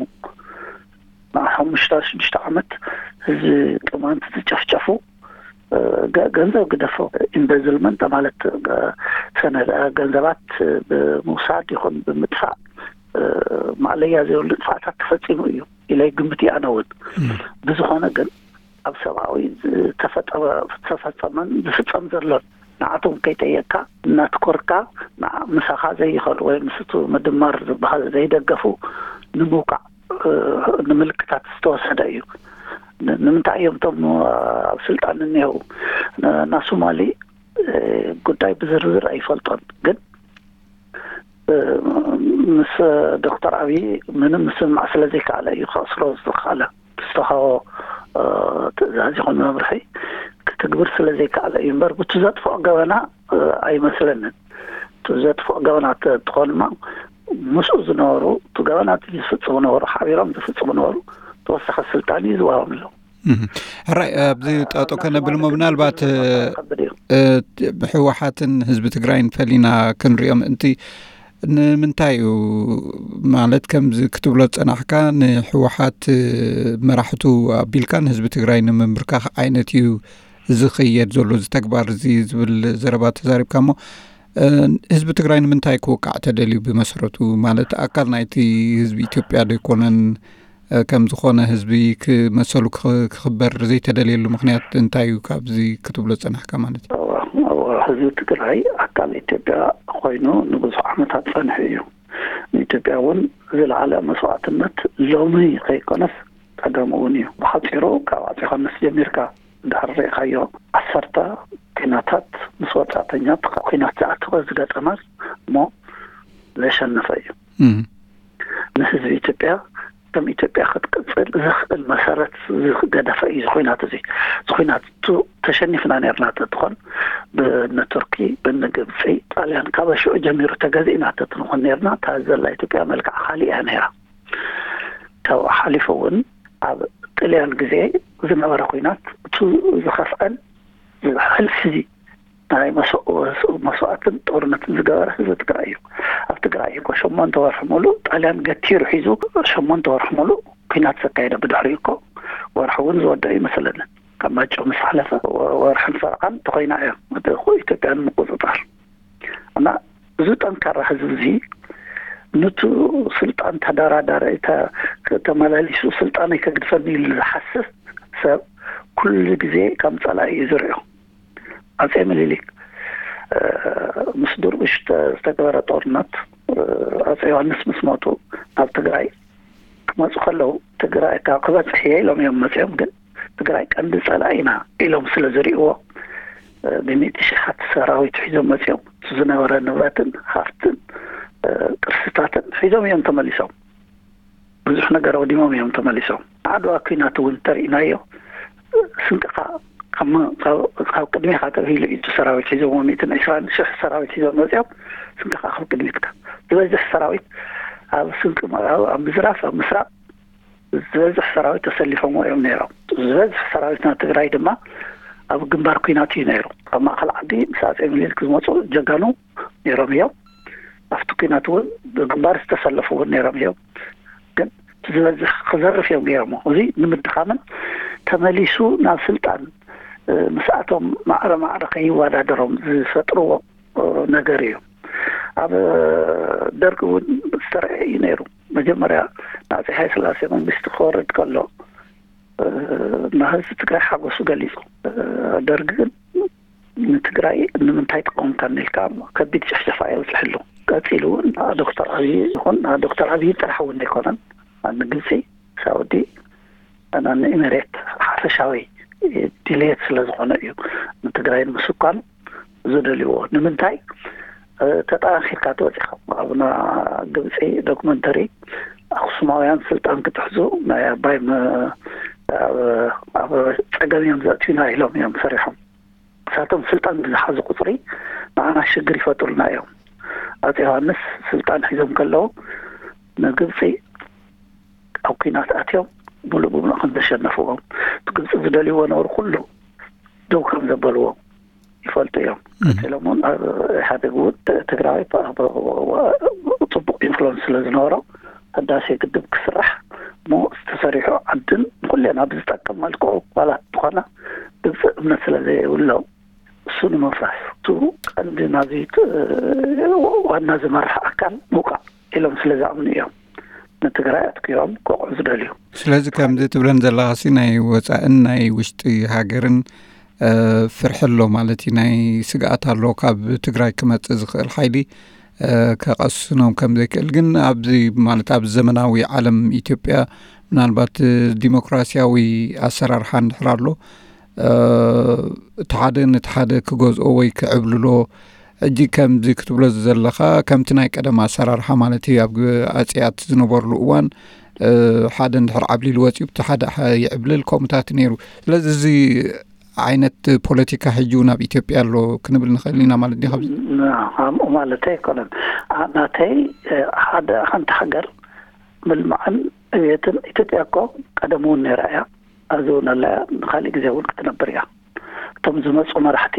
ንሓሙሽተ ሽዱሽተ ዓመት ህዝቢ ቅማንት ዝጨፍጨፉ ገንዘብ ግደፎ ኢምበዝልመንት ማለት ሰነ ገንዘባት ብምውሳድ ይኹን ብምጥፋእ ማእለያ ዘይብሉ ጥፋእታት ተፈፂሙ እዩ ኢለ ግምት ኣነ እውን። ብዝኾነ ግን ኣብ ሰብኣዊ ዝተፈጠረ ዝተፈፀመን ዝፍፀም ዘሎን ንዓቶም ከይጠየቅካ እናትኮርካ ምሳኻ ዘይኸዱ ወይ ምስቱ ምድማር ዝበሃል ዘይደገፉ ንምውቃዕ ንምልክታት ዝተወሰደ እዩ። ንምንታይ እዮም እቶም ኣብ ስልጣን እኒሄው ናሶማሊ ጉዳይ ብዝርዝር ኣይፈልጦን ግን ምስ ዶክተር ኣብይ ምንም ምስምማዕ ስለ ዘይከኣለ እዩ ከእስሮ ዝተኸኣለ። ዝተሃቦ ትእዛዝ ይኹን መምርሒ ክትግብር ስለ ዘይከኣለ እዩ እምበር ብቱ ዘጥፍኦ ገበና ኣይመስለንን። እቲ ዘጥፍኦ ገበናት እንትኾንማ ምስኡ ዝነበሩ እቲ ገበናት ዝፍፅሙ ነበሩ ሓቢሮም ዝፍፅሙ ነበሩ ተወሳኺ ስልጣን እዩ ዝዋሃቦም ኣለዉ። ሕራይ ኣብዚ ጠጦ ከነብል ሞ ምናልባት ህወሓትን ህዝቢ ትግራይን ፈሊና ክንሪኦም እንቲ ንምንታይ እዩ ማለት ከምዚ ክትብሎ ዝፀናሕካ ንህወሓት መራሕቱ ኣቢልካ ንህዝቢ ትግራይ ንምምርካኽ ዓይነት እዩ ዝኸየድ ዘሎ እዚ ተግባር እዚ ዝብል ዘረባ ተዛሪብካ እሞ ህዝቢ ትግራይ ንምንታይ ክወቃዕ ተደልዩ ብመሰረቱ ማለት ኣካል ናይቲ ህዝቢ ኢትዮጵያ ዶ ኣይኮነን ከም ዝኾነ ህዝቢ ክመሰሉ ክኽበር ዘይተደልየሉ ምኽንያት እንታይ እዩ? ካብዚ ክትብሎ ዝጸናሕካ ማለት እዩ። ህዝቢ ትግራይ ኣካል ኢትዮጵያ ኮይኑ ንብዙሕ ዓመታት ጸኒሑ እዩ። ንኢትዮጵያ እውን ዝለዓለ መስዋዕትነት ሎሚ ከይኮነስ ቀደም እውን እዩ። ብሓፂሩ ካብ ኣፄ ዮሃንስ ጀሚርካ ድሕሪ ርኢኻዮ ዓሰርተ ኪናታት ምስ ወፃእተኛት ኩናት ዝኣተወ ዝገጠመ እሞ ዘሸነፈ እዩ። ንህዝቢ ኢትዮጵያ ከም ኢትዮጵያ ክትቅፅል ዘኽእል መሰረት ዝገደፈ እዩ። ዝኩናት እዚ ዝኩናት ቱ ተሸኒፍና ነርና ተትኾን ብነቱርኪ ብነግብፂ ጣልያን ካብ ሽዑ ጀሚሩ ተገዚእና ተትንኾን ነርና እታ ዘላ ኢትዮጵያ መልክዓ ካሊእ እያ ነይራ። ካብኡ ሓሊፉ እውን ኣብ ጥልያን ግዜ ዝነበረ ኩናት እቱ ዝኸፍአን ዝብሕል ሕዚ ናይ መስዋእትን ጦርነትን ዝገበረ ህዝቢ ትግራይ እዩ። ኣብ ትግራይ እኮ ሸሞንተ ወርሒ ሙሉእ ጣልያን ገቲሩ ሒዙ ሸሞንተ ወርሒ ሙሉእ ኩናት ዘካየደ ብድሕሪኡ እኮ ወርሒ እውን ዝወደአ ይመስለንን ካብ ማይጨው ምስ ሓለፈ ወርሕን ፈረቓን ተኮይና እያ ኢትዮጵያ ንምቁፅፃር እና እዚ ጠንካራ ህዝቢ እዚ ንቱ ስልጣን ተደራዳሪ ተመላሊሱ ስልጣነይ ከግድፈኒ ኢሉ ዝሓስብ ሰብ ኩሉ ግዜ ከም ፀላኢ እዩ ዝሪኦ። ኣጼ ምኒልክ ምስ ድርቡሽ ዝተገበረ ጦርነት ኣጼ ዮሃንስ ምስ ሞቱ ናብ ትግራይ ክመፁ ከለዉ ትግራይ ካብ ክበፅሕ እየ ኢሎም እዮም መፅኦም። ግን ትግራይ ቀንዲ ፀላኢና ኢሎም ስለ ዝሪእዎ ብሚእቲ ሽሓት ሰራዊት ሒዞም መፅኦም። ዝነበረ ንብረትን ሃፍትን ቅርስታትን ሒዞም እዮም ተመሊሶም። ብዙሕ ነገር ኣውዲሞም እዮም ተመሊሶም። ዓድዋ ኩናት እውን ተርእናዮ። ስንቅኻ ካብ ቅድሜኻ ተብሂሉ እዩ ሰራዊት ሒዞም ሚእትን ዕስራን ሽሕ ሰራዊት ሒዞም መፅኦም። ስንቅኻ ካብ ቅድሜትካ ዝበዝሕ ሰራዊት ኣብ ስንቂ ምዕራብ ኣብ ምዝራፍ ኣብ ምስራቅ ዝበዝሕ ሰራዊት ተሰሊፎም እዮም ነይሮም። ዝበዝሕ ሰራዊትና ትግራይ ድማ ኣብ ግንባር ኩናት እዩ ነይሩ። ካብ ማእኸል ዓዲ ምስ ኣጼ ምኒልክ ዝመፁ ጀጋኑ ነይሮም እዮም። ኣብቲ ኩናት እውን ብግንባር ዝተሰለፉ እውን ነይሮም እዮም። ግን ዝበዝሕ ክዘርፍ እዮም ገይሮሞ። እዚ ንምድኻምን ተመሊሱ ናብ ስልጣን ምስኣቶም ማዕረ ማዕረ ከይወዳደሮም ዝፈጥርዎ ነገር እዩ። ኣብ ደርግ እውን ዝተረአ እዩ ነይሩ። መጀመርያ ንኣጼ ሃይለስላሴ መንግስቲ ክወርድ ከሎ ንህዝቢ ትግራይ ሓጎሱ ገሊፁ። ደርግ ግን ንትግራይ ንምንታይ ትቀምካን ኢልካ ከቢድ ጭፍጨፋ የብፅሕሉ። ቀፂሉ እውን ዶክተር ኣብይ ይኹን ዶክተር ኣብይ ጥራሕ እውን ኣይኮነን፣ ንግብፂ፣ ሳውዲ፣ ንኢሜሬት ሓፈሻዊ ድሌት ስለ ዝኾነ እዩ ንትግራይ ንምስኳን ዝደልይዎ። ንምንታይ ተጠናኺርካ ተወፂኻ ኣብና ግብፂ ዶክመንተሪ ኣክሱማውያን ስልጣን ክትሕዙ ናይ ኣባይ ኣብ ፀገም እዮም ዘእትዩና ኢሎም እዮም ሰሪሖም። እሳቶም ስልጣን ብዝሓዙ ቁፅሪ ንዓና ሽግር ይፈጥሩልና እዮም። ኣጼ ዮሃንስ ስልጣን ሒዞም ከለዉ ንግብፂ ኣብ ኩናት ኣትዮም ሙሉእ ብሙሉእ ከም ዘሸነፍዎም እቲ ግብፂ ዝደልይዎ ነብሪ ኩሉ ደው ከም ዘበልዎም ይፈልጡ እዮም። ቀፂሎም እውን ኢህኣደግ እውን ትግራይ ፅቡቅ ኢንፍሉንስ ስለ ዝነበሮ ህዳሴ ግድብ ክስራሕ ሞ ዝተሰሪሑ ዓድን ንኩሌና ብዝጠቅም መልክዑ ዋላ ዝኾነ ግብፂ እምነት ስለ ዘይብሎም እሱ ንምፍራስ እቲ ቀንዲ ናዚ ዋና ዝመርሕ ኣካል ምውቃዕ ኢሎም ስለ ዝኣምኑ እዮም ንትግራይ ኣትኪሮም ክወቕዑ ዝደልዩ። ስለዚ ከምዚ ትብለን ዘለኻሲ ናይ ወፃእን ናይ ውሽጢ ሃገርን ፍርሒ ኣሎ ማለት እዩ። ናይ ስግኣት ኣሎ ካብ ትግራይ ክመፅእ ዝኽእል ሓይሊ ከቐስኖም ከም ዘይክእል። ግን ኣብዚ ማለት ኣብ ዘመናዊ ዓለም ኢትዮጵያ ምናልባት ዲሞክራሲያዊ ኣሰራርሓ እንድሕር ኣሎ እቲ ሓደ ነቲ ሓደ ክገዝኦ ወይ ክዕብልሎ ሕጂ ከምዚ ክትብሎ ዘለኻ ከምቲ ናይ ቀደም ኣሰራርሓ ማለት እዩ። ኣብ ኣፅያት ዝነበርሉ እዋን ሓደ እንድሕር ዓብሊሉ ወፂኡ ብቲ ሓደ ይዕብልል ከምኡታት ነይሩ። ስለዚ እዚ ዓይነት ፖለቲካ ሕጂ እውን ኣብ ኢትዮጵያ ኣሎ ክንብል ንኽእል ኢና ማለት ዲ? ከምኡ ማለት ኣይኮነን። ናተይ ሓደ ሓንቲ ሃገር ምልማዕን ዕብየትን ኢትዮጵያ እኮ ቀደም እውን ነይራ እያ፣ ኣብዚ እውን ኣላ እያ፣ ንካሊእ ግዜ እውን ክትነብር እያ። እቶም ዝመፁ መራሕቲ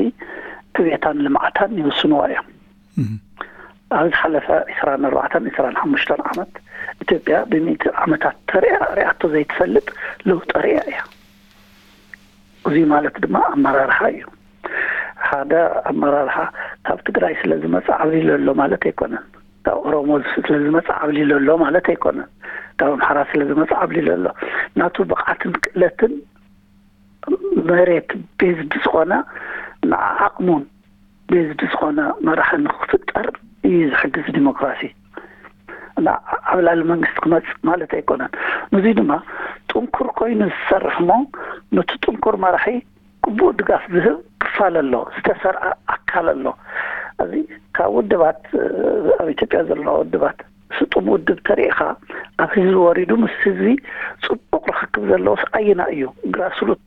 ዕብየታን ልምዓታን ይውስንዋ እዮም። ኣብ ዝሓለፈ ዕስራን ኣርባዕተን ዕስራን ሓሙሽተን ዓመት ኢትዮጵያ ብሚእቲ ዓመታት ተሪኣ ሪኣቶ ዘይትፈልጥ ለውጢ ሪኣ እያ። እዚ ማለት ድማ ኣመራርሓ እዩ። ሓደ ኣመራርሓ ካብ ትግራይ ስለ ዝመፀ ዓብሊሉ ኣሎ ማለት ኣይኮነን። ካብ ኦሮሞ ስለ ዝመፀ ዓብሊሉ ኣሎ ማለት ኣይኮነን። ካብ ኣምሓራ ስለ ዝመፀ ዓብሊሉ ኣሎ። ናቱ ብቕዓትን ክእለትን መሬት ቤዝድ ዝኾነ ንዓዓቕሙን ቤዝድ ዝኾነ መራሒ ንክፍጠር እዩ ዝሕግዝ ዲሞክራሲ። ኣብ ላዕሊ መንግስቲ ክመፅእ ማለት ኣይኮነን። ንዙይ ድማ ጥንኩር ኮይኑ ዝሰርሕ እሞ ነቲ ጥንኩር መራሒ ግቡእ ድጋፍ ዝህብ ክፋል ኣሎ፣ ዝተሰርዐ ኣካል ኣሎ። እዚ ካብ ውድባት ኣብ ኢትዮጵያ ዘለዋ ውድባት ስጡም ውድብ ተሪእኻ ኣብ ህዝቢ ወሪዱ ምስ ህዝቢ ፅቡቅ ርክክብ ዘለዎስ ኣየና እዩ? ግራስሩት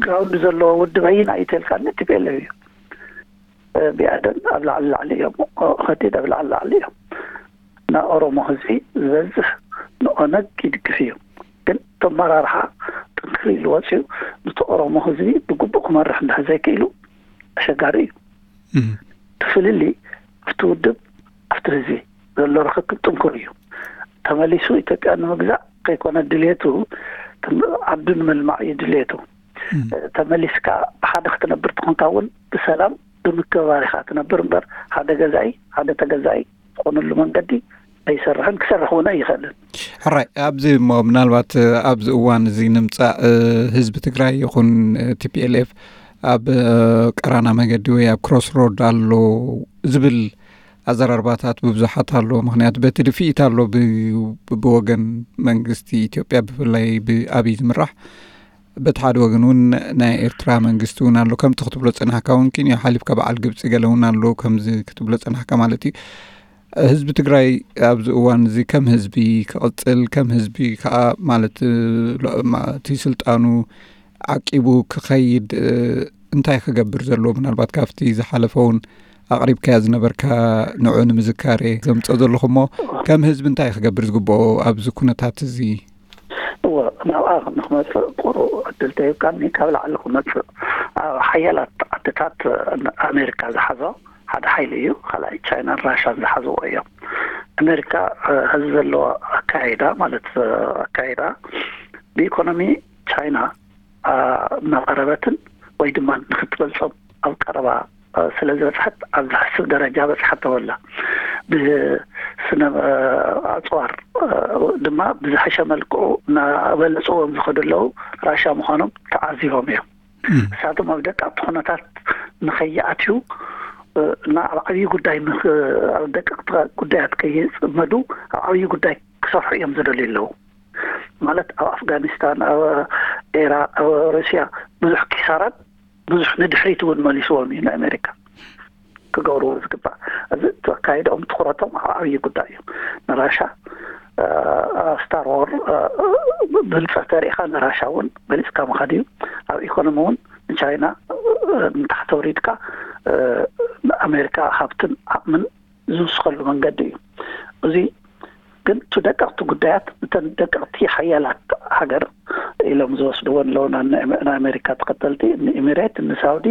ግራውንድ ዘለዎ ውድብ ኣየና እዩ ተልካ ቲፒኤልኤፍ እዩ። ብኣደን ኣብ ላዕሊ ላዕሊ እዮም፣ ኦህዴድ ኣብ ላዕሊ ላዕሊ እዮም። ንኦሮሞ ህዝቢ ዝበዝሕ ንኦነግ ይድግፍ እዩ። ግን ተመራርሓ ጥንክር ኢሉ ወፅዩ ነቲ ኦሮሞ ህዝቢ ብግቡእ ክመርሕ እንድሕር ዘይክኢሉ ኣሸጋሪ እዩ። እቲ ፍልልይ ኣብቲ ውድብ ኣብቲ ህዝቢ ዘሎ ርክክብ ጥንኩር እዩ። ተመሊሱ ኢትዮጵያ ንምግዛእ ከይኮነ ድልየቱ ዓዱ ንምልማዕ እዩ ድልየቱ። ተመሊስካ ብሓደ ክትነብር ትኾንካ እውን ብሰላም ብምክብባር ኢኻ ትነብር እምበር ሓደ ገዛኢ ሓደ ተገዛኢ ዝኾነሉ መንገዲ ኣይሰርሕን ክሰርሕ እውን ኣይኽእልን። ሕራይ ኣብዚ እሞ ምናልባት ኣብዚ እዋን እዚ ንምፃእ ህዝቢ ትግራይ ይኹን ቲፒኤልኤፍ ኣብ ቀራና መገዲ ወይ ኣብ ክሮስ ሮድ ኣሎ ዝብል ኣዘራርባታት ብብዙሓት ኣሎ። ምክንያቱ በቲ ድፍኢት ኣሎ፣ ብወገን መንግስቲ ኢትዮጵያ ብፍላይ ብኣብይ ዝምራሕ፣ በቲ ሓደ ወገን እውን ናይ ኤርትራ መንግስቲ እውን ኣሎ። ከምቲ ክትብሎ ጸናሕካ እውን ኪንዮ ሓሊፍካ በዓል ግብጺ ገለ እውን ኣሎ፣ ከምዚ ክትብሎ ጸናሕካ ማለት እዩ። ህዝቢ ትግራይ ኣብዚ እዋን እዚ ከም ህዝቢ ክቕጽል፣ ከም ህዝቢ ከዓ ማለት እቲ ስልጣኑ ዓቂቡ ክኸይድ እንታይ ክገብር ዘለዎ? ምናልባት ካብቲ ዝሓለፈ እውን ኣቕሪብካያ ዝነበርካ ንዑ ንምዝካር እየ ዘምፅኦ ዘለኹ እሞ፣ ከም ህዝቢ እንታይ ክገብር ዝግብኦ ኣብዚ ኩነታት እዚ? እወ፣ ናብኣ ንክመፅእ ቁሩብ ዕድል ተሂብካኒ ካብ ላዕሊ ክመፅእ፣ ኣብ ሓያላት ዓድታት ኣሜሪካ ዝሓዞ ሓደ ሓይሊ እዩ። ካልኣይ ቻይናን ራሻን ዝሓዝዎ እዮም። ኣሜሪካ ሕዚ ዘለዎ ኣካይዳ ማለት ኣካይዳ ብኢኮኖሚ ቻይና እናቐረበትን ወይ ድማ ንክትበልፆም ኣብ ቀረባ ስለ ዝበፅሐት ኣብ ዝሕስብ ደረጃ በፅሓ ተበላ። ብስነ ኣፅዋር ድማ ብዝሐሸ መልክዑ እናበለፅዎም ዝኸዱ ኣለዉ። ራሻ ምዃኖም ተዓዚቦም እዮም። እሳቶም ኣብ ደቀቕቲ ኩነታት ንኸይኣትዩ እና ኣብ ዓብዪ ጉዳይ ኣብ ደቀቕቲ ጉዳያት ከይፅመዱ ኣብ ዓብዪ ጉዳይ ክሰርሑ እዮም ዝደልዩ ኣለዉ። ማለት ኣብ ኣፍጋኒስታን፣ ኣብ ኢራቅ፣ ኣብ ሩስያ ብዙሕ ኪሳራን ብዙሕ ንድሕሪት እውን መሊስዎም እዩ ንኣሜሪካ ክገብርዎ ዝግባእ። እዚ ተካይዶም ትኩረቶም ኣብ ዓብዪ ጉዳይ እዩ። ንራሻ ስታር ዎር ብልፀ ተሪኢኻ ንራሻ እውን በሊፅካ ምኻድ እዩ። ኣብ ኢኮኖሚ እውን ንቻይና ንታሕቲ ወሪድካ ንኣሜሪካ ሃብትን ዓቕምን ዝውስኸሉ መንገዲ እዩ። እዚ ግን እቲ ደቀቕቲ ጉዳያት እተን ደቀቕቲ ሓያላት ሃገር ኢሎም ዝወስድዎ ኣለዉ። ንኣሜሪካ ተኸተልቲ ንኢሚሬት፣ ንሳውዲ፣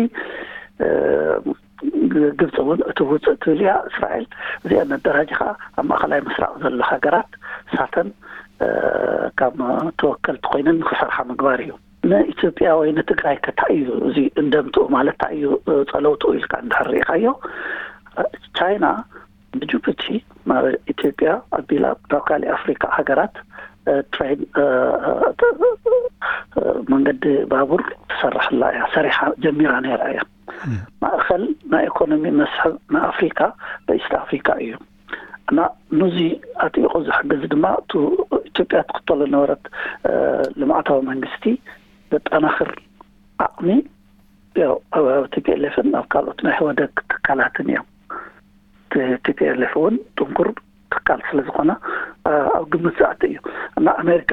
ግብፂ እውን እቲ ውፅእ ትብል እያ እስራኤል። እዚኣ መደራጅ ከዓ ኣብ ማእኸላይ ምስራቅ ዘሎ ሃገራት ሳተን ካብ ተወከልቲ ኮይነን ንክሰርሓ ምግባር እዩ። ንኢትዮጵያ ወይ ንትግራይ ከ እንታይ እዩ እዚ እንደምትኡ ማለት እንታይ እዩ ጸለውትኡ ኢልካ እንድሕር ርኢኻዮ፣ ቻይና ብጅቡቲ ናብ ኢትዮጵያ ኣቢላ ናብ ካሊእ ኣፍሪካ ሃገራት ትሬን መንገዲ ባቡር ትሰርሕላ እያ፣ ሰሪሓ ጀሚራ ነይራ እያ። ማእኸል ናይ ኢኮኖሚ መስሕብ ናይ ኣፍሪካ በኢስት ኣፍሪካ እዩ። እና ነዚ ኣጥቢቑ ዝሕግዝ ድማ እቲ ኢትዮጵያ ትኽተሎ ነበረት ልምዓታዊ መንግስቲ ዘጠናኽር ዓቕሚ ያው ኣብ ቲፒኤልኤፍን ኣብ ካልኦት ናይ ህወደግ ትካላትን እዮም። ቲፒኤልኤፍ እውን ጥንኩር ትካል ስለ ዝኾነ ኣብ ግምት ዝኣቱ እዩ። እና ኣሜሪካ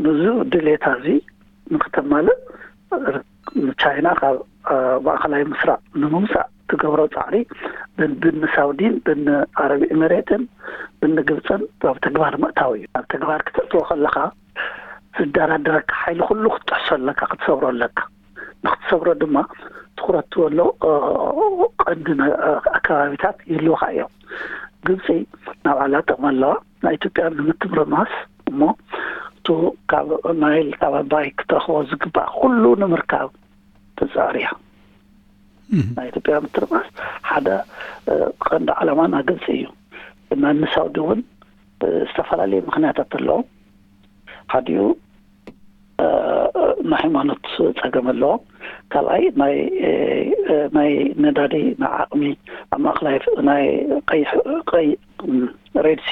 ነዚ ድሌታ እዚ ንክተማልእ ንቻይና ካብ ማእኸላይ ምስራቅ ንምውፃእ ትገብሮ ፃዕሪ ብኒ ሳውዲን ብኒ ዓረብ ኤሚሬትን ብኒ ግብፅን ኣብ ተግባር ምእታው እዩ። ኣብ ተግባር ክተእትዎ ከለካ ዝደራደረካ ሓይሊ ኩሉ ክትጥሕሶ ኣለካ፣ ክትሰብሮ ኣለካ። ንክትሰብሮ ድማ ትኩረት ትበሎ ቀንዲ ኣከባቢታት ይህልውካ እዮም። ግብፂ ናብ ዓላ ጥቕሚ ኣለዋ። ናይ ኢትዮጵያ ንምትምርማስ እሞ እቲ ካብ ናይል ካብ ኣባይ ክትረኽቦ ዝግባእ ኩሉ ንምርካብ ትፃዕር እያ። ናይ ኢትዮጵያ ምትርማስ ሓደ ቀንዲ ዓላማ ናይ ግብፂ እዩ። እና ንሳውዲ እውን ዝተፈላለዩ ምክንያታት ኣለዎም። ሓዲኡ ናይ ሃይማኖት ፀገም ኣለዎም። ካልኣይ ናይ ናይ ነዳዲ ናይ ዓቕሚ ኣብ ማእኸላይ ናይ ቀይሕ ቀይ ሬድሲ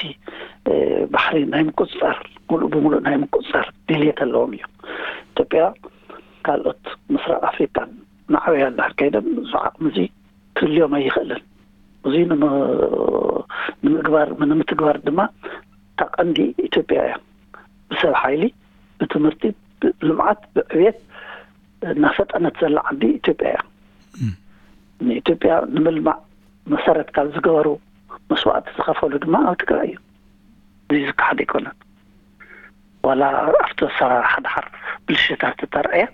ባሕሪ ናይ ምቁፅፃር ሙሉእ ብሙሉእ ናይ ምቁፅፃር ድልየት ኣለዎም እዩ። ኢትዮጵያ ካልኦት ምስራቅ ኣፍሪካን ናዕበያ እንድሕር ከይደን እዚ ዓቕሚ እዚ ክህልዮም ኣይኽእልን። እዚ ንምግባር ንምትግባር ድማ እታ ቀንዲ ኢትዮጵያ እያ። ብሰብ ሓይሊ፣ ብትምህርቲ፣ ብልምዓት፣ ብዕብየት እናፈጠነት ዘላ ዓዲ ኢትዮጵያ እያ። ንኢትዮጵያ ንምልማዕ መሰረት ካብ ዝገበሩ መስዋእቲ ዝኸፈሉ ድማ ኣብ ትግራይ እዩ። እዚ ዝከሓድ ኣይኮነን። ዋላ ኣብቲ ኣሰራርሓ ደሓር ብልሽታት ተተርኣየ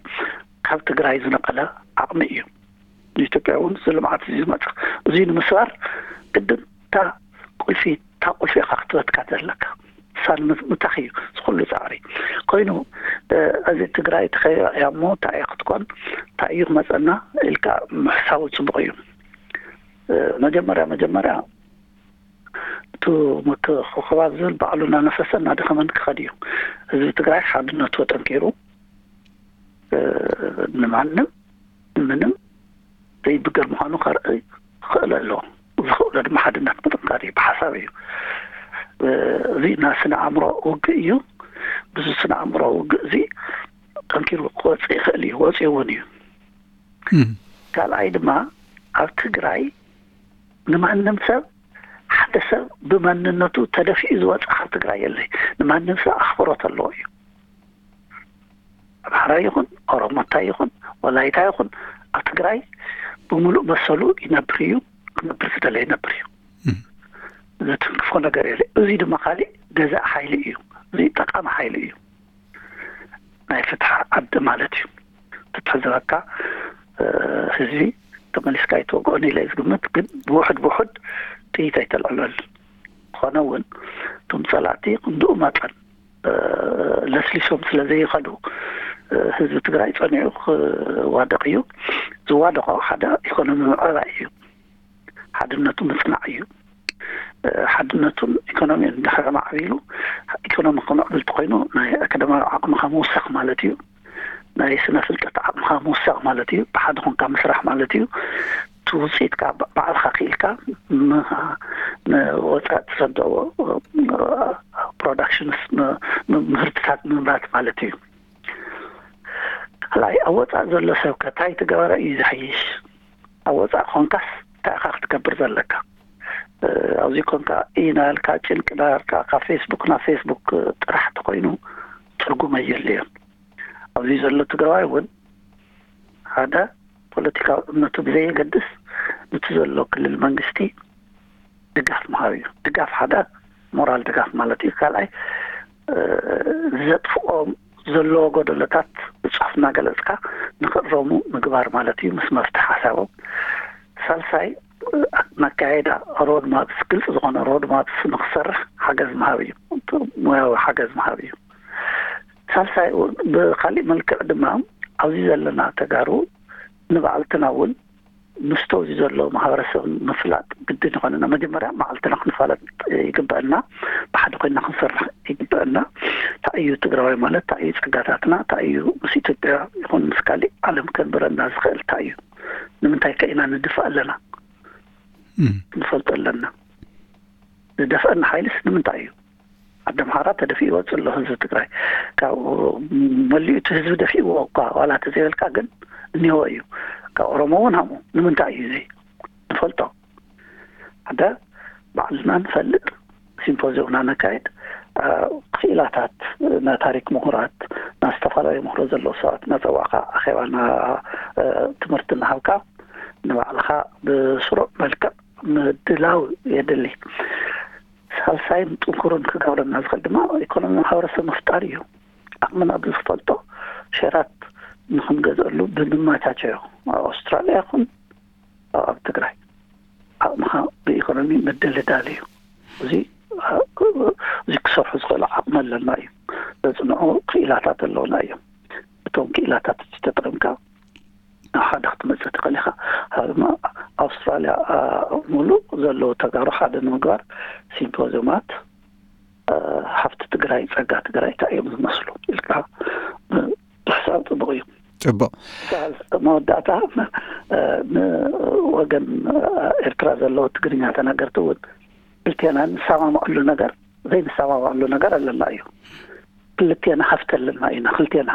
ካብ ትግራይ ዝነቐለ ዓቕሚ እዩ። ንኢትዮጵያ እውን እዚ ልምዓት እዚ ዝመፅእ እዚ ንምስባር ግድን እታ ቁልፊ እታ ቁልፊ ኢኻ ክትበትካ ዘለካ። እሳ ንምታኽ እዩ ዝኩሉ ፃዕሪ ኮይኑ። እዚ ትግራይ ተኸቢባ እያ እሞ እንታይ እያ ክትኮን እንታይ እዩ ክመፀና ኢልካ ምሕሳቡ ፅቡቅ እዩ። መጀመርያ መጀመርያ እቲ ምክኽባብ ዝብል ባዕሉ እናነፈሰ እናደኸመን ክኸድ እዩ። ህዝቢ ትግራይ ሓድነቱ ኣጠንኪሩ ንማንም ምንም ዘይብገር ምዃኑ ከርኢ ክኽእል ኣለዎ። ዝኽእሎ ድማ ሓድነት ምጥንካር እዩ፣ ብሓሳብ እዩ። እዚ ናይ ስነ ኣእምሮ ውግእ እዩ። ብዙ ስነ ኣእምሮ ውግእ እዚ ጠንኪሩ ክወፅእ ይኽእል እዩ፣ ወፂኡ እውን እዩ። ካልኣይ ድማ ኣብ ትግራይ ንማንም ሰብ፣ ሓደ ሰብ ብማንነቱ ተደፊኡ ዝወፀ ካብ ትግራይ የለይ። ንማንም ሰብ ኣኽብሮት ኣለዎ እዩ። ኣምሓራ ይኹን፣ ኦሮሞታ ይኹን፣ ወላይታ ይኹን፣ ኣብ ትግራይ ብምሉእ መሰሉ ይነብር እዩ። ክነብር ዝደለ ይነብር እዩ። ዝትንክፎ ነገር የለ። እዚ ድማ ካሊእ ገዛእ ሓይሊ እዩ። እዚ ጠቃሚ ሓይሊ እዩ። ናይ ፍትሒ ዓዲ ማለት እዩ። ፍትሒ ዝበካ ህዝቢ ተመሊስካ ኣይትወግኦን ኢለ ዝግምት፣ ግን ብውሕድ ብውሕድ ጥይት ኣይተልዕለል። ዝኾነ እውን እቶም ፀላእቲ ክንድኡ መጠን ለስሊሶም ስለ ዘይኸዱ ህዝቢ ትግራይ ፀኒዑ ክዋደቕ እዩ። ዝዋደቖ ሓደ ኢኮኖሚ ምዕባይ እዩ። ሓድነቱ ምፅናዕ እዩ። ሓድነቱን ኢኮኖሚን እንድሕር ማዕቢሉ፣ ኢኮኖሚ ክምዕብል ተኮይኑ ናይ ኣካዳሚያዊ ዓቕምኻ ምውሳኽ ማለት እዩ። ናይ ስነ ፍልጠት ዓቕምኻ ምውሳኽ ማለት እዩ። ብሓደ ኮንካ ምስራሕ ማለት እዩ። እቲ ውፅኢትካ ባዕልኻ ክኢልካ ንወፃኢ ትሰደዎ ፕሮዳክሽንስ፣ ምህርትታት ምምራት ማለት እዩ። ካልኣይ፣ ኣብ ወፃኢ ዘሎ ሰብ ከ እንታይ ትገበረ እዩ ዝሕይሽ? ኣብ ወፃኢ ኮንካስ እንታይ ኢኻ ክትገብር ዘለካ? ኣብዚ ኮንካ ኢናልካ ጭንቂ ዳርካ ካብ ፌስቡክ ናብ ፌስቡክ ጥራሕ ተኮይኑ ትርጉም ኣየድልዮን። ኣብዚ ዘሎ ትግራዋይ እውን ሓደ ፖለቲካዊ እምነቱ ብዘየገድስ፣ ነቲ ዘሎ ክልል መንግስቲ ድጋፍ ምሃብ እዩ። ድጋፍ ሓደ ሞራል ድጋፍ ማለት እዩ። ካልኣይ፣ ዘጥፍኦም ዘለዎ ጎደሎታት ብፅሑፍ እናገለፅካ ንክእረሙ ምግባር ማለት እዩ፣ ምስ መፍትሒ ሓሳቦም። ሳልሳይ፣ መካየዳ ሮድማፕስ፣ ግልፂ ዝኾነ ሮድማፕስ ንክሰርሕ ሓገዝ ምሃብ እዩ። ሞያዊ ሓገዝ ምሃብ እዩ። ሳልሳይ፣ ብካሊእ መልክዕ ድማ ኣብዚ ዘለና ተጋሩ ንባዕልትና እውን ምስቲ ኣብዚ ዘሎ ማህበረሰብ ምፍላጥ ግድን ይኾነና። መጀመርያ ባዕልትና ክንፋለጥ ይግበአና፣ ብሓደ ኮይና ክንሰርሕ ይግበአና። እንታይ እዩ ትግራዋይ ማለት፣ እንታይ እዩ ጸጋታትና፣ እንታይ እዩ ምስ ኢትዮጵያ ይኹን ምስ ካሊእ ዓለም ከንብረና ዝኽእል እንታይ እዩ፣ ንምንታይ ከ ኢና ንድፋእ ኣለና፣ ክንፈልጦ ኣለና። ዝደፍአና ሓይልስ ንምንታይ እዩ? ኣደ ኣምሓራ ተደፊኡ ይወፅእ ኣሎ ህዝቢ ትግራይ። ካብኡ መሊኡ እቲ ህዝቢ ደፊእዎ እኳ ዋላ ተዘይበልካ ግን እኒሆ እዩ። ካብ ኦሮሞ እውን ሃምኡ ንምንታይ እዩ እዚ ንፈልጦ። ሓደ ባዕልና ንፈልጥ፣ ሲምፖዚዮምና ነካየድ፣ ክኢላታት፣ ናይ ታሪክ ምሁራት፣ ናይ ዝተፈላለዩ ምሁሮ ዘለዉ ሰባት እናፀዋዕካ ኣኼባ ትምህርቲ እናሃብካ ንባዕልካ ብስሩዕ መልክዕ ምድላው የድሊ። ሳልሳይን ጥንኩርን ክገብረና ዝኽእል ድማ ኢኮኖሚ ማሕበረሰብ ምፍጣር እዩ። ዓቕምና ብዝፈልጦ ሸራት ንክንገዝአሉ ብምመቻቸዮ ኣብ ኣውስትራልያ ይኹን ኣብ ትግራይ ዓቕምኻ ብኢኮኖሚ ምድልዳል እዩ። እዚ እዚ ክሰርሑ ዝኽእሉ ዓቕሚ ኣለና እዩ። ዘፅንዑ ክኢላታት ኣለውና እዮም። እቶም ክኢላታት ተጠቂምካ ናብ ሓደ ክትመፅእ ትኽእል ኢኻ። ካብ ድማ ኣውስትራልያ ሙሉእ ዘለዉ ተጋሩ ሓደ ንምግባር ሲምፖዚዮማት ሃፍቲ ትግራይ፣ ፀጋ ትግራይ እንታይ እዮም ዝመስሉ ኢልካ ብሕሳብ ፅቡቕ እዩ። ፅቡቕ። መወዳእታ ንወገን ኤርትራ ዘለዉ ትግርኛ ተናገርቲ እውን ክልቴና ንሰማምዐሉ ነገር ዘይንሰማምዐሉ ነገር ኣለና እዩ። ክልቴና ሃፍቲ ኣለና ኢና። ክልቴና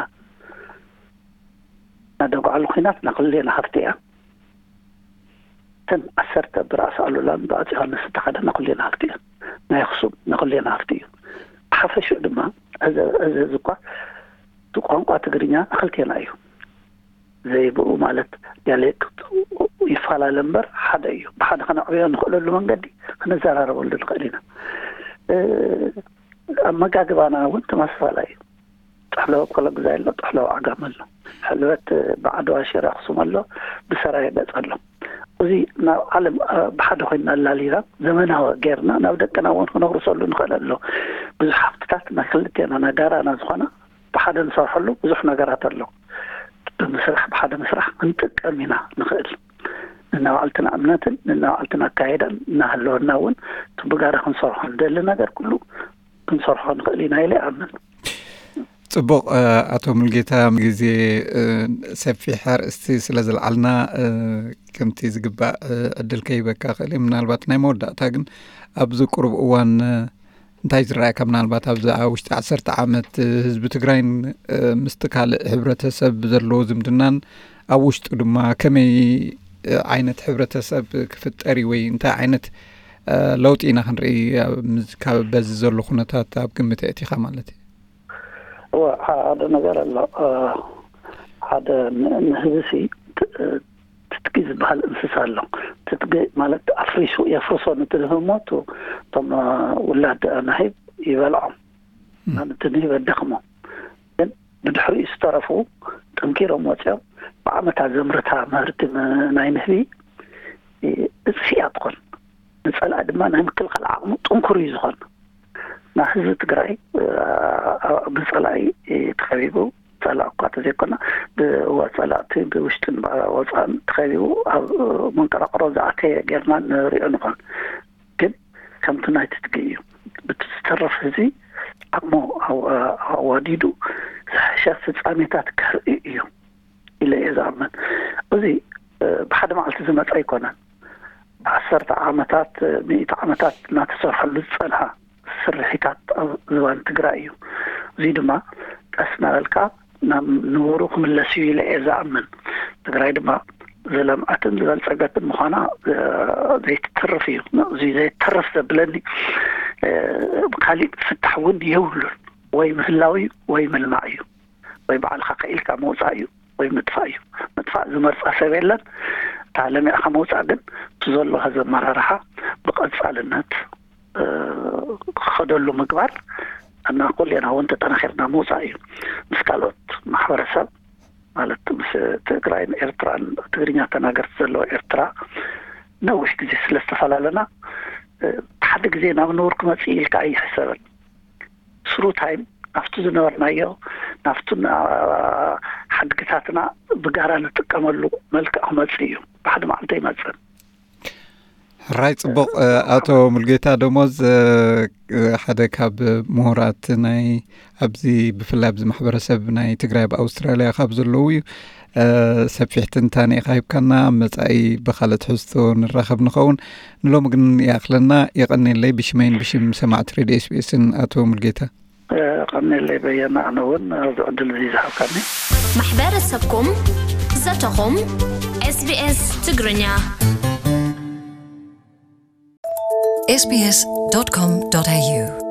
ናደጉዓሉ ኩናት ናክልቴና ሃፍቲ እያ። እተን ዓሰርተ ብራእሲ ኣሉላን ብኣፂ ዮሃንስ ዝተኸደ ናኩሌና ሃፍቲ እያ። ናይ ኣክሱም ናኩሌና ሃፍቲ እዩ። ብሓፈሽኡ ድማ እዚ እዚ እኳ እቲ ቋንቋ ትግርኛ ናክልቴና እዩ። ዘይብኡ ማለት ዲያሌክት ይፈላለ እምበር ሓደ እዩ። ብሓደ ከነዕብዮ ንኽእለሉ መንገዲ ክንዘራረበሉ ንኽእል ኢና። ኣመጋግባና እውን ተመሳሳላይ እዩ። ጥሕሎ ኮለጉዛይ ኣሎ፣ ጥሕሎ ዓጋመ ኣሎ። ሕልበት ብዓድዋ ሽረ ኣክሱም ኣሎ፣ ብሰራየ ገፅ ኣሎ። እዚ ናብ ዓለም ብሓደ ኮይና ኣላሊና ዘመናዊ ጌርና ናብ ደቅና እውን ክነውርሰሉ ንኽእል ኣሎ። ብዙሕ ሃፍትታት ናይ ክልቴና ናይ ጋራና ዝኾና ብሓደ ንሰርሐሉ ብዙሕ ነገራት ኣሎ። ብምስራሕ ብሓደ ምስራሕ ክንጥቀም ኢና ንኽእል። ንናባዕልትና እምነትን ንናባዕልትና ኣካየዳን እናሃለወና እውን እቲ ብጋራ ክንሰርሖ ንደሊ ነገር ኩሉ ክንሰርሖ ንኽእል ኢና ኢለ ይኣምን። ጽቡቕ። ኣቶ ሙልጌታ፣ ግዜ ሰፊሕ ኣርእስቲ ስለ ዝለዓልና፣ ከምቲ ዝግባእ ዕድል ከይበካ ክእል። ምናልባት ናይ መወዳእታ ግን፣ ኣብዚ ቁሩብ እዋን እንታይ ዝረኣየካ? ምናልባት ኣብዚ ውሽጢ ዓሰርተ ዓመት ህዝቢ ትግራይን ምስቲ ካልእ ሕብረተሰብ ዘለዎ ዝምድናን፣ ኣብ ውሽጡ ድማ ከመይ ዓይነት ሕብረተሰብ ክፍጠር እዩ ወይ እንታይ ዓይነት ለውጢ ኢና ክንርኢ? በዚ ዘሎ ኩነታት ኣብ ግምት ኣእቲኻ ማለት እዩ። እወ፣ ሓደ ነገር ኣሎ። ሓደ ንህዝቢ ሲ ትጥቂ ዝበሃል እንስሳ ኣሎ። ትጥቂ ማለት ኣፍሪሱ የፍርሶ ንትልህሞ፣ እቶም ውላድ ናሂብ ይበልዖም፣ ነቲ ንህቢ የዳኽሞ። ግን ብድሕሪኡ ዝተረፉ ጠንኪሮም ወፂኦም ብዓመታት ዘምርታ ምህርቲ ናይ ንህቢ እፅፊያ ትኾን። ንፀላእ ድማ ናይ ምክልኻል ዓቕሙ ጥንኩር እዩ ዝኾን። ናብ ህዝቢ ትግራይ ብፀላኢ ተኸቢቡ፣ ፀላእ እኳ ተዘይኮና ብፀላእቲ ብውሽጥን ወፃእን ተኸቢቡ ኣብ መንቀራቕሮ ዝኣተየ ጌርና ንሪኦ ንኾን። ግን ከምቲ ናይ ትጥቂ እዩ። ብቲ ዝተረፍ ህዝቢ ዓቕሙ ኣዋዲዱ ዝሐሸ ፍፃሜታት ከርኢ እዩ ኢለ እየ ዝኣምን። እዚ ብሓደ መዓልቲ ዝመፀ ኣይኮነን። ዓሰርተ ዓመታት፣ ሚእቲ ዓመታት እናተሰርሐሉ ዝፀንሐ ስርሒታት ኣብ ዝባን ትግራይ እዩ። እዚ ድማ ቀስ እናበልካ ናብ ንቡሩ ክምለስ እዩ ኢለ እየ ዝኣምን። ትግራይ ድማ ዝለምዐትን ዝበልፀገትን ምዃና ዘይትተርፍ እዩ። እዚ ዘይተርፍ ዘብለኒ ካሊእ ፍታሕ እውን የብሉን። ወይ ምህላው እዩ ወይ ምልማዕ እዩ። ወይ ባዕልኻ ከኢልካ ምውፃእ እዩ ወይ ምጥፋእ እዩ። ምጥፋእ ዝመርፃ ሰብ የለን። እታ ለሚዕኻ ምውፃእ ግን እቲ ዘሎ ዘመራርሓ ብቐፃልነት ክኸደሉ ምግባር እና ኩሌና እውን ተጠናኺርና ምውፃእ እዩ። ምስ ካልኦት ማሕበረሰብ ማለት ምስ ትግራይን ኤርትራን ትግርኛ ተናገርቲ ዘለዎ ኤርትራ ነዊሕ ግዜ ስለ ዝተፈላለና ሓደ ግዜ ናብ ንቡር ክመፅእ ኢልካ ኣይሕሰብን። ስሩ ታይም ናብቲ ዝነበርናዮ ናብቲ ሓድግታትና ብጋራ ንጥቀመሉ መልክዕ ክመፅእ እዩ። ብሓደ መዓልቲ ኣይመፅን። ሕራይ ጽቡቕ። ኣቶ ሙልጌታ ደሞዝ ሓደ ካብ ምሁራት ናይ ኣብዚ ብፍላይ ኣብዚ ማሕበረሰብ ናይ ትግራይ ኣብ ኣውስትራልያ ካብ ዘለዉ እዩ። ሰፊሕ ትንታነ ኢኻ ሂብካና። ኣብ መጻኢ ብኻልእ ትሕዝቶ ንራኸብ ንኸውን። ንሎሚ ግን ይኣኽለና። የቐንየለይ ብሽመይን ብሽም ሰማዕቲ ሬድዮ ኤስቢኤስን ኣቶ ሙልጌታ። ቀንየለይ በየነ፣ ኣነ እውን ኣብዚ ዕድል እዚ ዝሃብካኒ። ማሕበረሰብኩም ዘተኹም ኤስቢኤስ ትግርኛ sbs.com.au